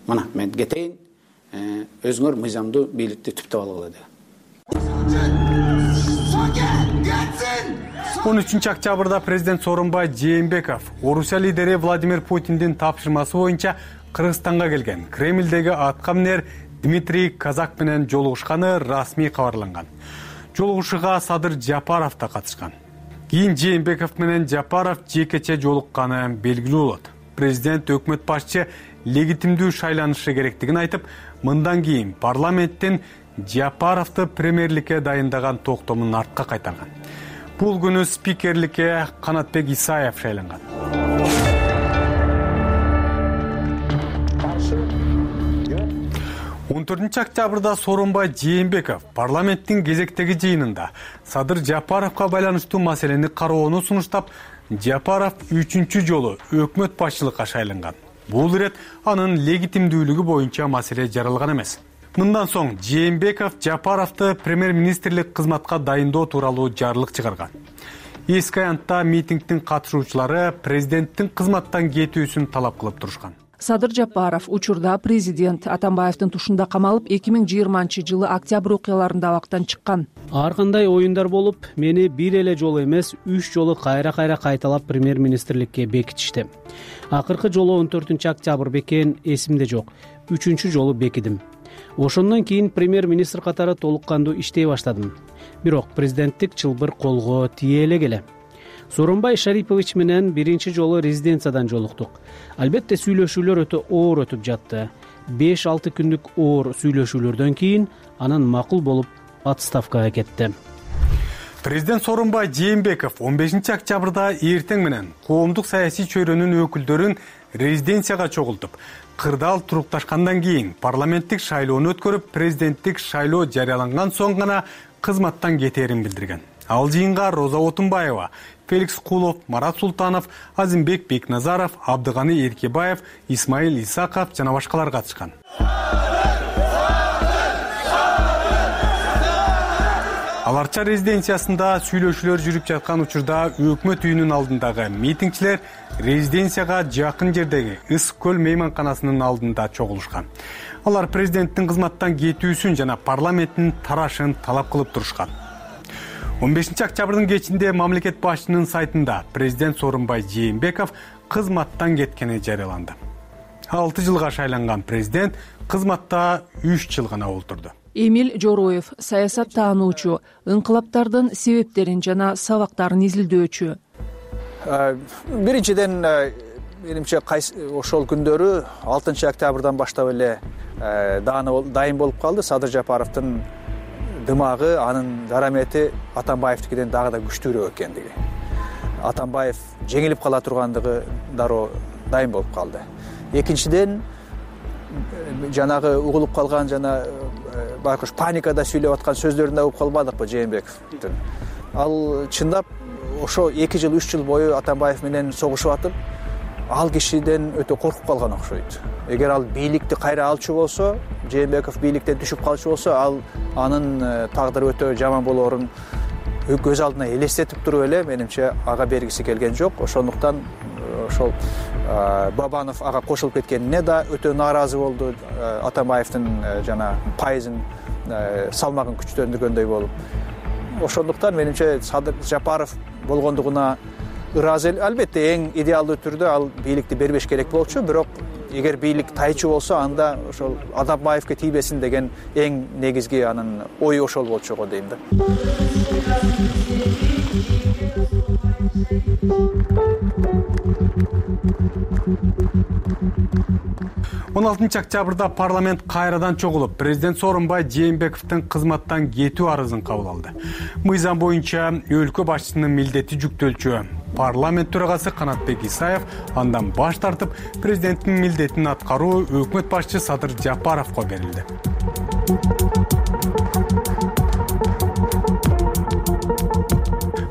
Мына мен кетейин, өзүңөр мыйзамдуу бийликти түптөп алгыла деген. он үчүнчү октябрда президент Сооронбай Жээнбеков Орусия лидери Владимир Путиндин тапшырмасы боюнча Кыргызстанга келген. Кремлдеги аткаминер Дмитрий Казак менен жолугушканы расмий кабарланган. Жолугушууга Садыр Жапаров да катышкан. Кийин Жээнбеков менен Жапаров жекече жолукканы белгилүү болот. Президент өкмөт башчы легитимдүү шайланышы керектигин айтып, мындан кийин парламенттин Жапаровду премьерликке дайындаган токтомун артка кайтарган. Бул күнү спикерликке Канатбек Исаев шайланган. он төртүнчү октябрда Сооронбай Жээнбеков парламенттин кезектеги жыйынында Садыр Жапаровго байланыштуу маселени кароону сунуштап, Жапаров үчүнчү жолу өкмөт башчылыкка шайланган. Бул ирет анын легитимдүүлүгү боюнча маселе жаралган эмес. Мындан соң Жээнбеков Жапаровду премьер-министрлик кызматка дайындоо тууралуу жарлык чыгарган. Эски аянтта митингдин катышуучулары президенттин кызматтан кетүүсүн талап кылып турушкан. Садыр Жапаров учурда президент Атамбаевдин тушунда камалып, эки миң жыйырманчы жылы октябрь окуяларында абактан чыккан. Ар кандай оюндар болуп, мени бир эле жолу эмес, үч жолу кайра-кайра кайталап премьер-министрликке бекитишти. Акыркы жолу он төртүнчү октябрь бекен эсимде жок. Үчүнчү жолу бекидим. Ошондон кийин премьер-министр катары толук кандуу иштей баштадым. Бирок президенттик чылбыр колго тие элек эле. Сооронбай Шарипович менен биринчи жолу резиденциядан жолуктук. Албетте сүйлөшүүлөр өтө оор өтүп жатты. беш алты күндүк оор сүйлөшүүлөрдөн кийин анан макул болуп отставкага кетти. Президент Сооронбай Жээнбеков он бешинчи октябрда эртең менен коомдук саясий чөйрөнүн өкүлдөрүн резиденцияга чогултуп, кырдаал турукташкандан кийин парламенттик шайлоону өткөрүп, президенттик шайлоо жарыяланган соң гана кызматтан кетээрин билдирген. Ал жыйынга Роза Отунбаева, Феликс Кулов, Марат Султанов, Азимбек Бекназаров, Абдыганы Эркебаев, Исмаил Исаков жана башкалар катышкан. Ал Арча резиденциясында сүйлөшүүлөр жүрүп жаткан учурда өкмөт үйүнүн алдындагы митингчилер резиденцияга жакын жердеги Ыс көл мейманканасынын алдында чогулушкан. Алар президенттин кызматтан кетүүсүн жана парламенттин тарашын талап кылып турушкан. он бешинчи октябрдын кечинде мамлекет башчынын сайтында президент Сооронбай Жээнбеков кызматтан кеткени жарыяланды. алты жылга шайланган президент кызматта үч жыл гана олтурду. Эмиль Жороев саясат таануучу, ыңкылаптардын себептерин жана сабактарын изилдөөчү. Биринчиден, менимче ошол күндөрү алтынчы октябрдан баштап эле дайым болуп калды. Садыр Жапаровдун дымагы, анын жарамети Атамбаевдикиден дагы да күчтүүрөөк экендиги. Атамбаев жеңилип кала тургандыгы дароо дайым болуп калды. Экинчиден, жанагы угулуп калган жана байкуш паникада сүйлөп аткан сөздөрүн да угуп калбадыкпы Жээнбековдун. Ал чындап ошо эки жыл, үч жыл бою Атамбаев менен согушуп атып, ал кишиден өтө коркуп калган окшойт. Эгер ал бийликти кайра алчу болсо, Жээнбеков бийликтен түшүп калчу болсо, ал анын тагдыры өтө жаман болоорун көз алдына элестетип туруп эле, менимче ага бергиси келген жок. Ошондуктан ошол Бабанов ага кошулуп кеткенине да өтө нааразы болду. Атамбаевдин жана пайызын салмагын күчтөндүргөндөй болуп. Ошондуктан менимче Садыр Жапаров болгондугуна ыраазы. Албетте эң идеалдуу түрдө ал бийликти бербеш керек болчу, бирок эгер бийлик тайчу болсо, анда ошол Атамбаевге тийбесин деген эң негизги анын ою ошол болчу го дейм да. он алтынчы октябрда парламент кайрадан чогулуп, президент Сооронбай Жээнбековдун кызматтан кетүү арызын кабыл алды. Мыйзам боюнча өлкө башчысынын милдети жүктөлчү. Парламент төрагасы Канатбек Исаев андан баш тартып, президенттин милдетин аткаруу өкмөт башчы Садыр Жапаровго берилди.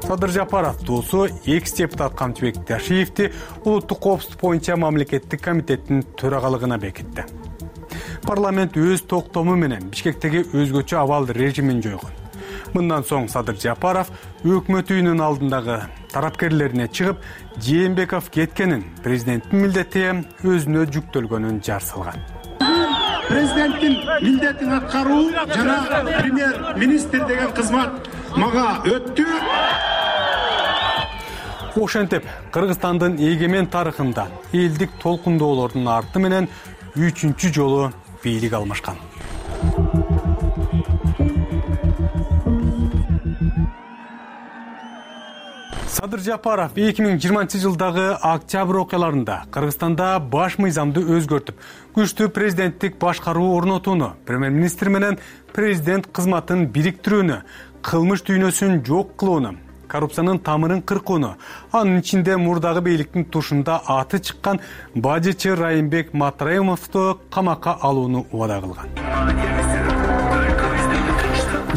Садыр Жапаров доосу экс-депутат Камчыбек Ташиевди улуттук коопсуздук боюнча мамлекеттик комитеттин төрагалыгына бекитти. Парламент өз токтому менен Бишкектеги өзгөчө абал режимин жойгон. Мындан соң Садыр Жапаров өкмөт үйүнүн алдындагы тарапкерлерине чыгып, Жээнбеков кеткенин, президенттин милдети өзүнө жүктөлгөнүн жар салган. Президенттин милдетин аткаруу жана премьер-министр деген кызмат мага өттү. Ошентип, Кыргызстандын эгемен тарыхында элдик толкундоолордун арты менен үчүнчү жолу бийлик алмашкан. Садыр Жапаров эки миң жыйырманчы жылдагы октябрь окуяларында Кыргызстанда баш мыйзамды өзгөртүп, күчтүү президенттик башкаруу орнотууну, премьер-министр менен президент кызматын бириктирүүнү, кылмыш дүйнөсүн жок кылууну, коррупциянын тамырын кыркууну, анын ичинде мурдагы бийликтин тушунда аты чыккан бажычы Райымбек Матраимовду камакка алууну убада кылган.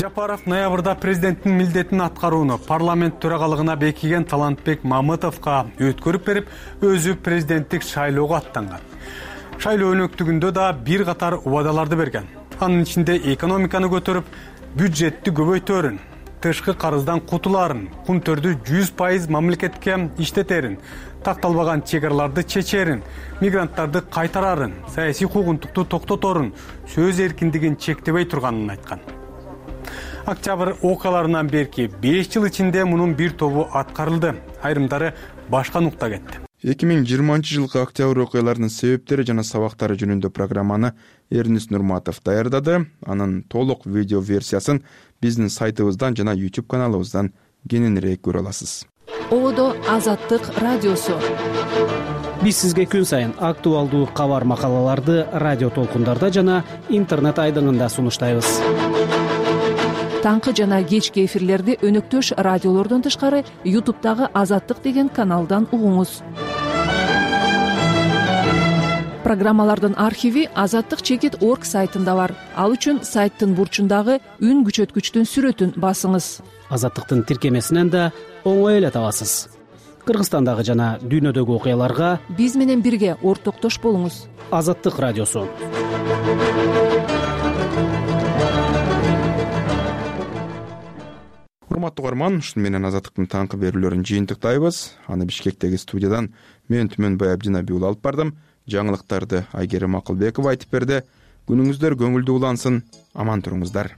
Жапаров ноябрда президенттин милдетин аткарууну парламент төрагалыгына бекиген Талантбек Мамытовго өткөрүп берип, өзү президенттик шайлоого аттанган. Шайлоо өнөктүгүндө да бир катар убадаларды берген. Анын ичинде экономиканы көтөрүп, бюджетти көбөйтөрүн, тышкы карыздан кутулаарын, кунтөрдү жүз пайыз мамлекетке иштетерин, такталбаган чек араларды чечерин, мигранттарды кайтарарын, саясий куугунтукту токтоторун, сөз эркиндигин чектебей турганын айткан. Октябрь окуяларынан берки беш жыл ичинде мунун бир тобу аткарылды, айрымдары башка нукта кетти. эки миң жыйырманчы жылкы октябрь окуяларынын себептери жана сабактары жөнүндө программаны Эрнис Нурматов даярдады. Анын толук видео версиясын биздин сайтыбыздан жана YouTube каналыбыздан кененирээк көрө аласыз. Ободо Азаттык радиосу. Биз сизге күн сайын актуалдуу кабар макалаларды радио толкундарда жана интернет айдыңында сунуштайбыз. Таңкы жана кечки эфирлерди өнөктөш радиолордон тышкары YouTube'дагы Азаттык деген каналдан угуңуз. Программалардын архиви азаттык чекит точка орг сайтында бар. Ал үчүн сайттын бурчундагы үн күчөткүчтүн сүрөтүн басыңыз. Азаттыктын тиркемесинен да оңой эле табасыз. Кыргызстандагы жана дүйнөдөгү окуяларга биз менен бирге ортоктош болуңуз. Азаттык радиосу. урматтуу угарман, ушуну менен Азаттыктын таңкы берүүлөрүн жыйынтыктайбыз. Аны Бишкектеги студиядан мен Түмөнбай Абдинабий уулу алып бардым. Жаңылыктарды Айгерим Акылбекова айтып берди. Күнүңүздөр көңүлдүү улансын, аман туруңуздар.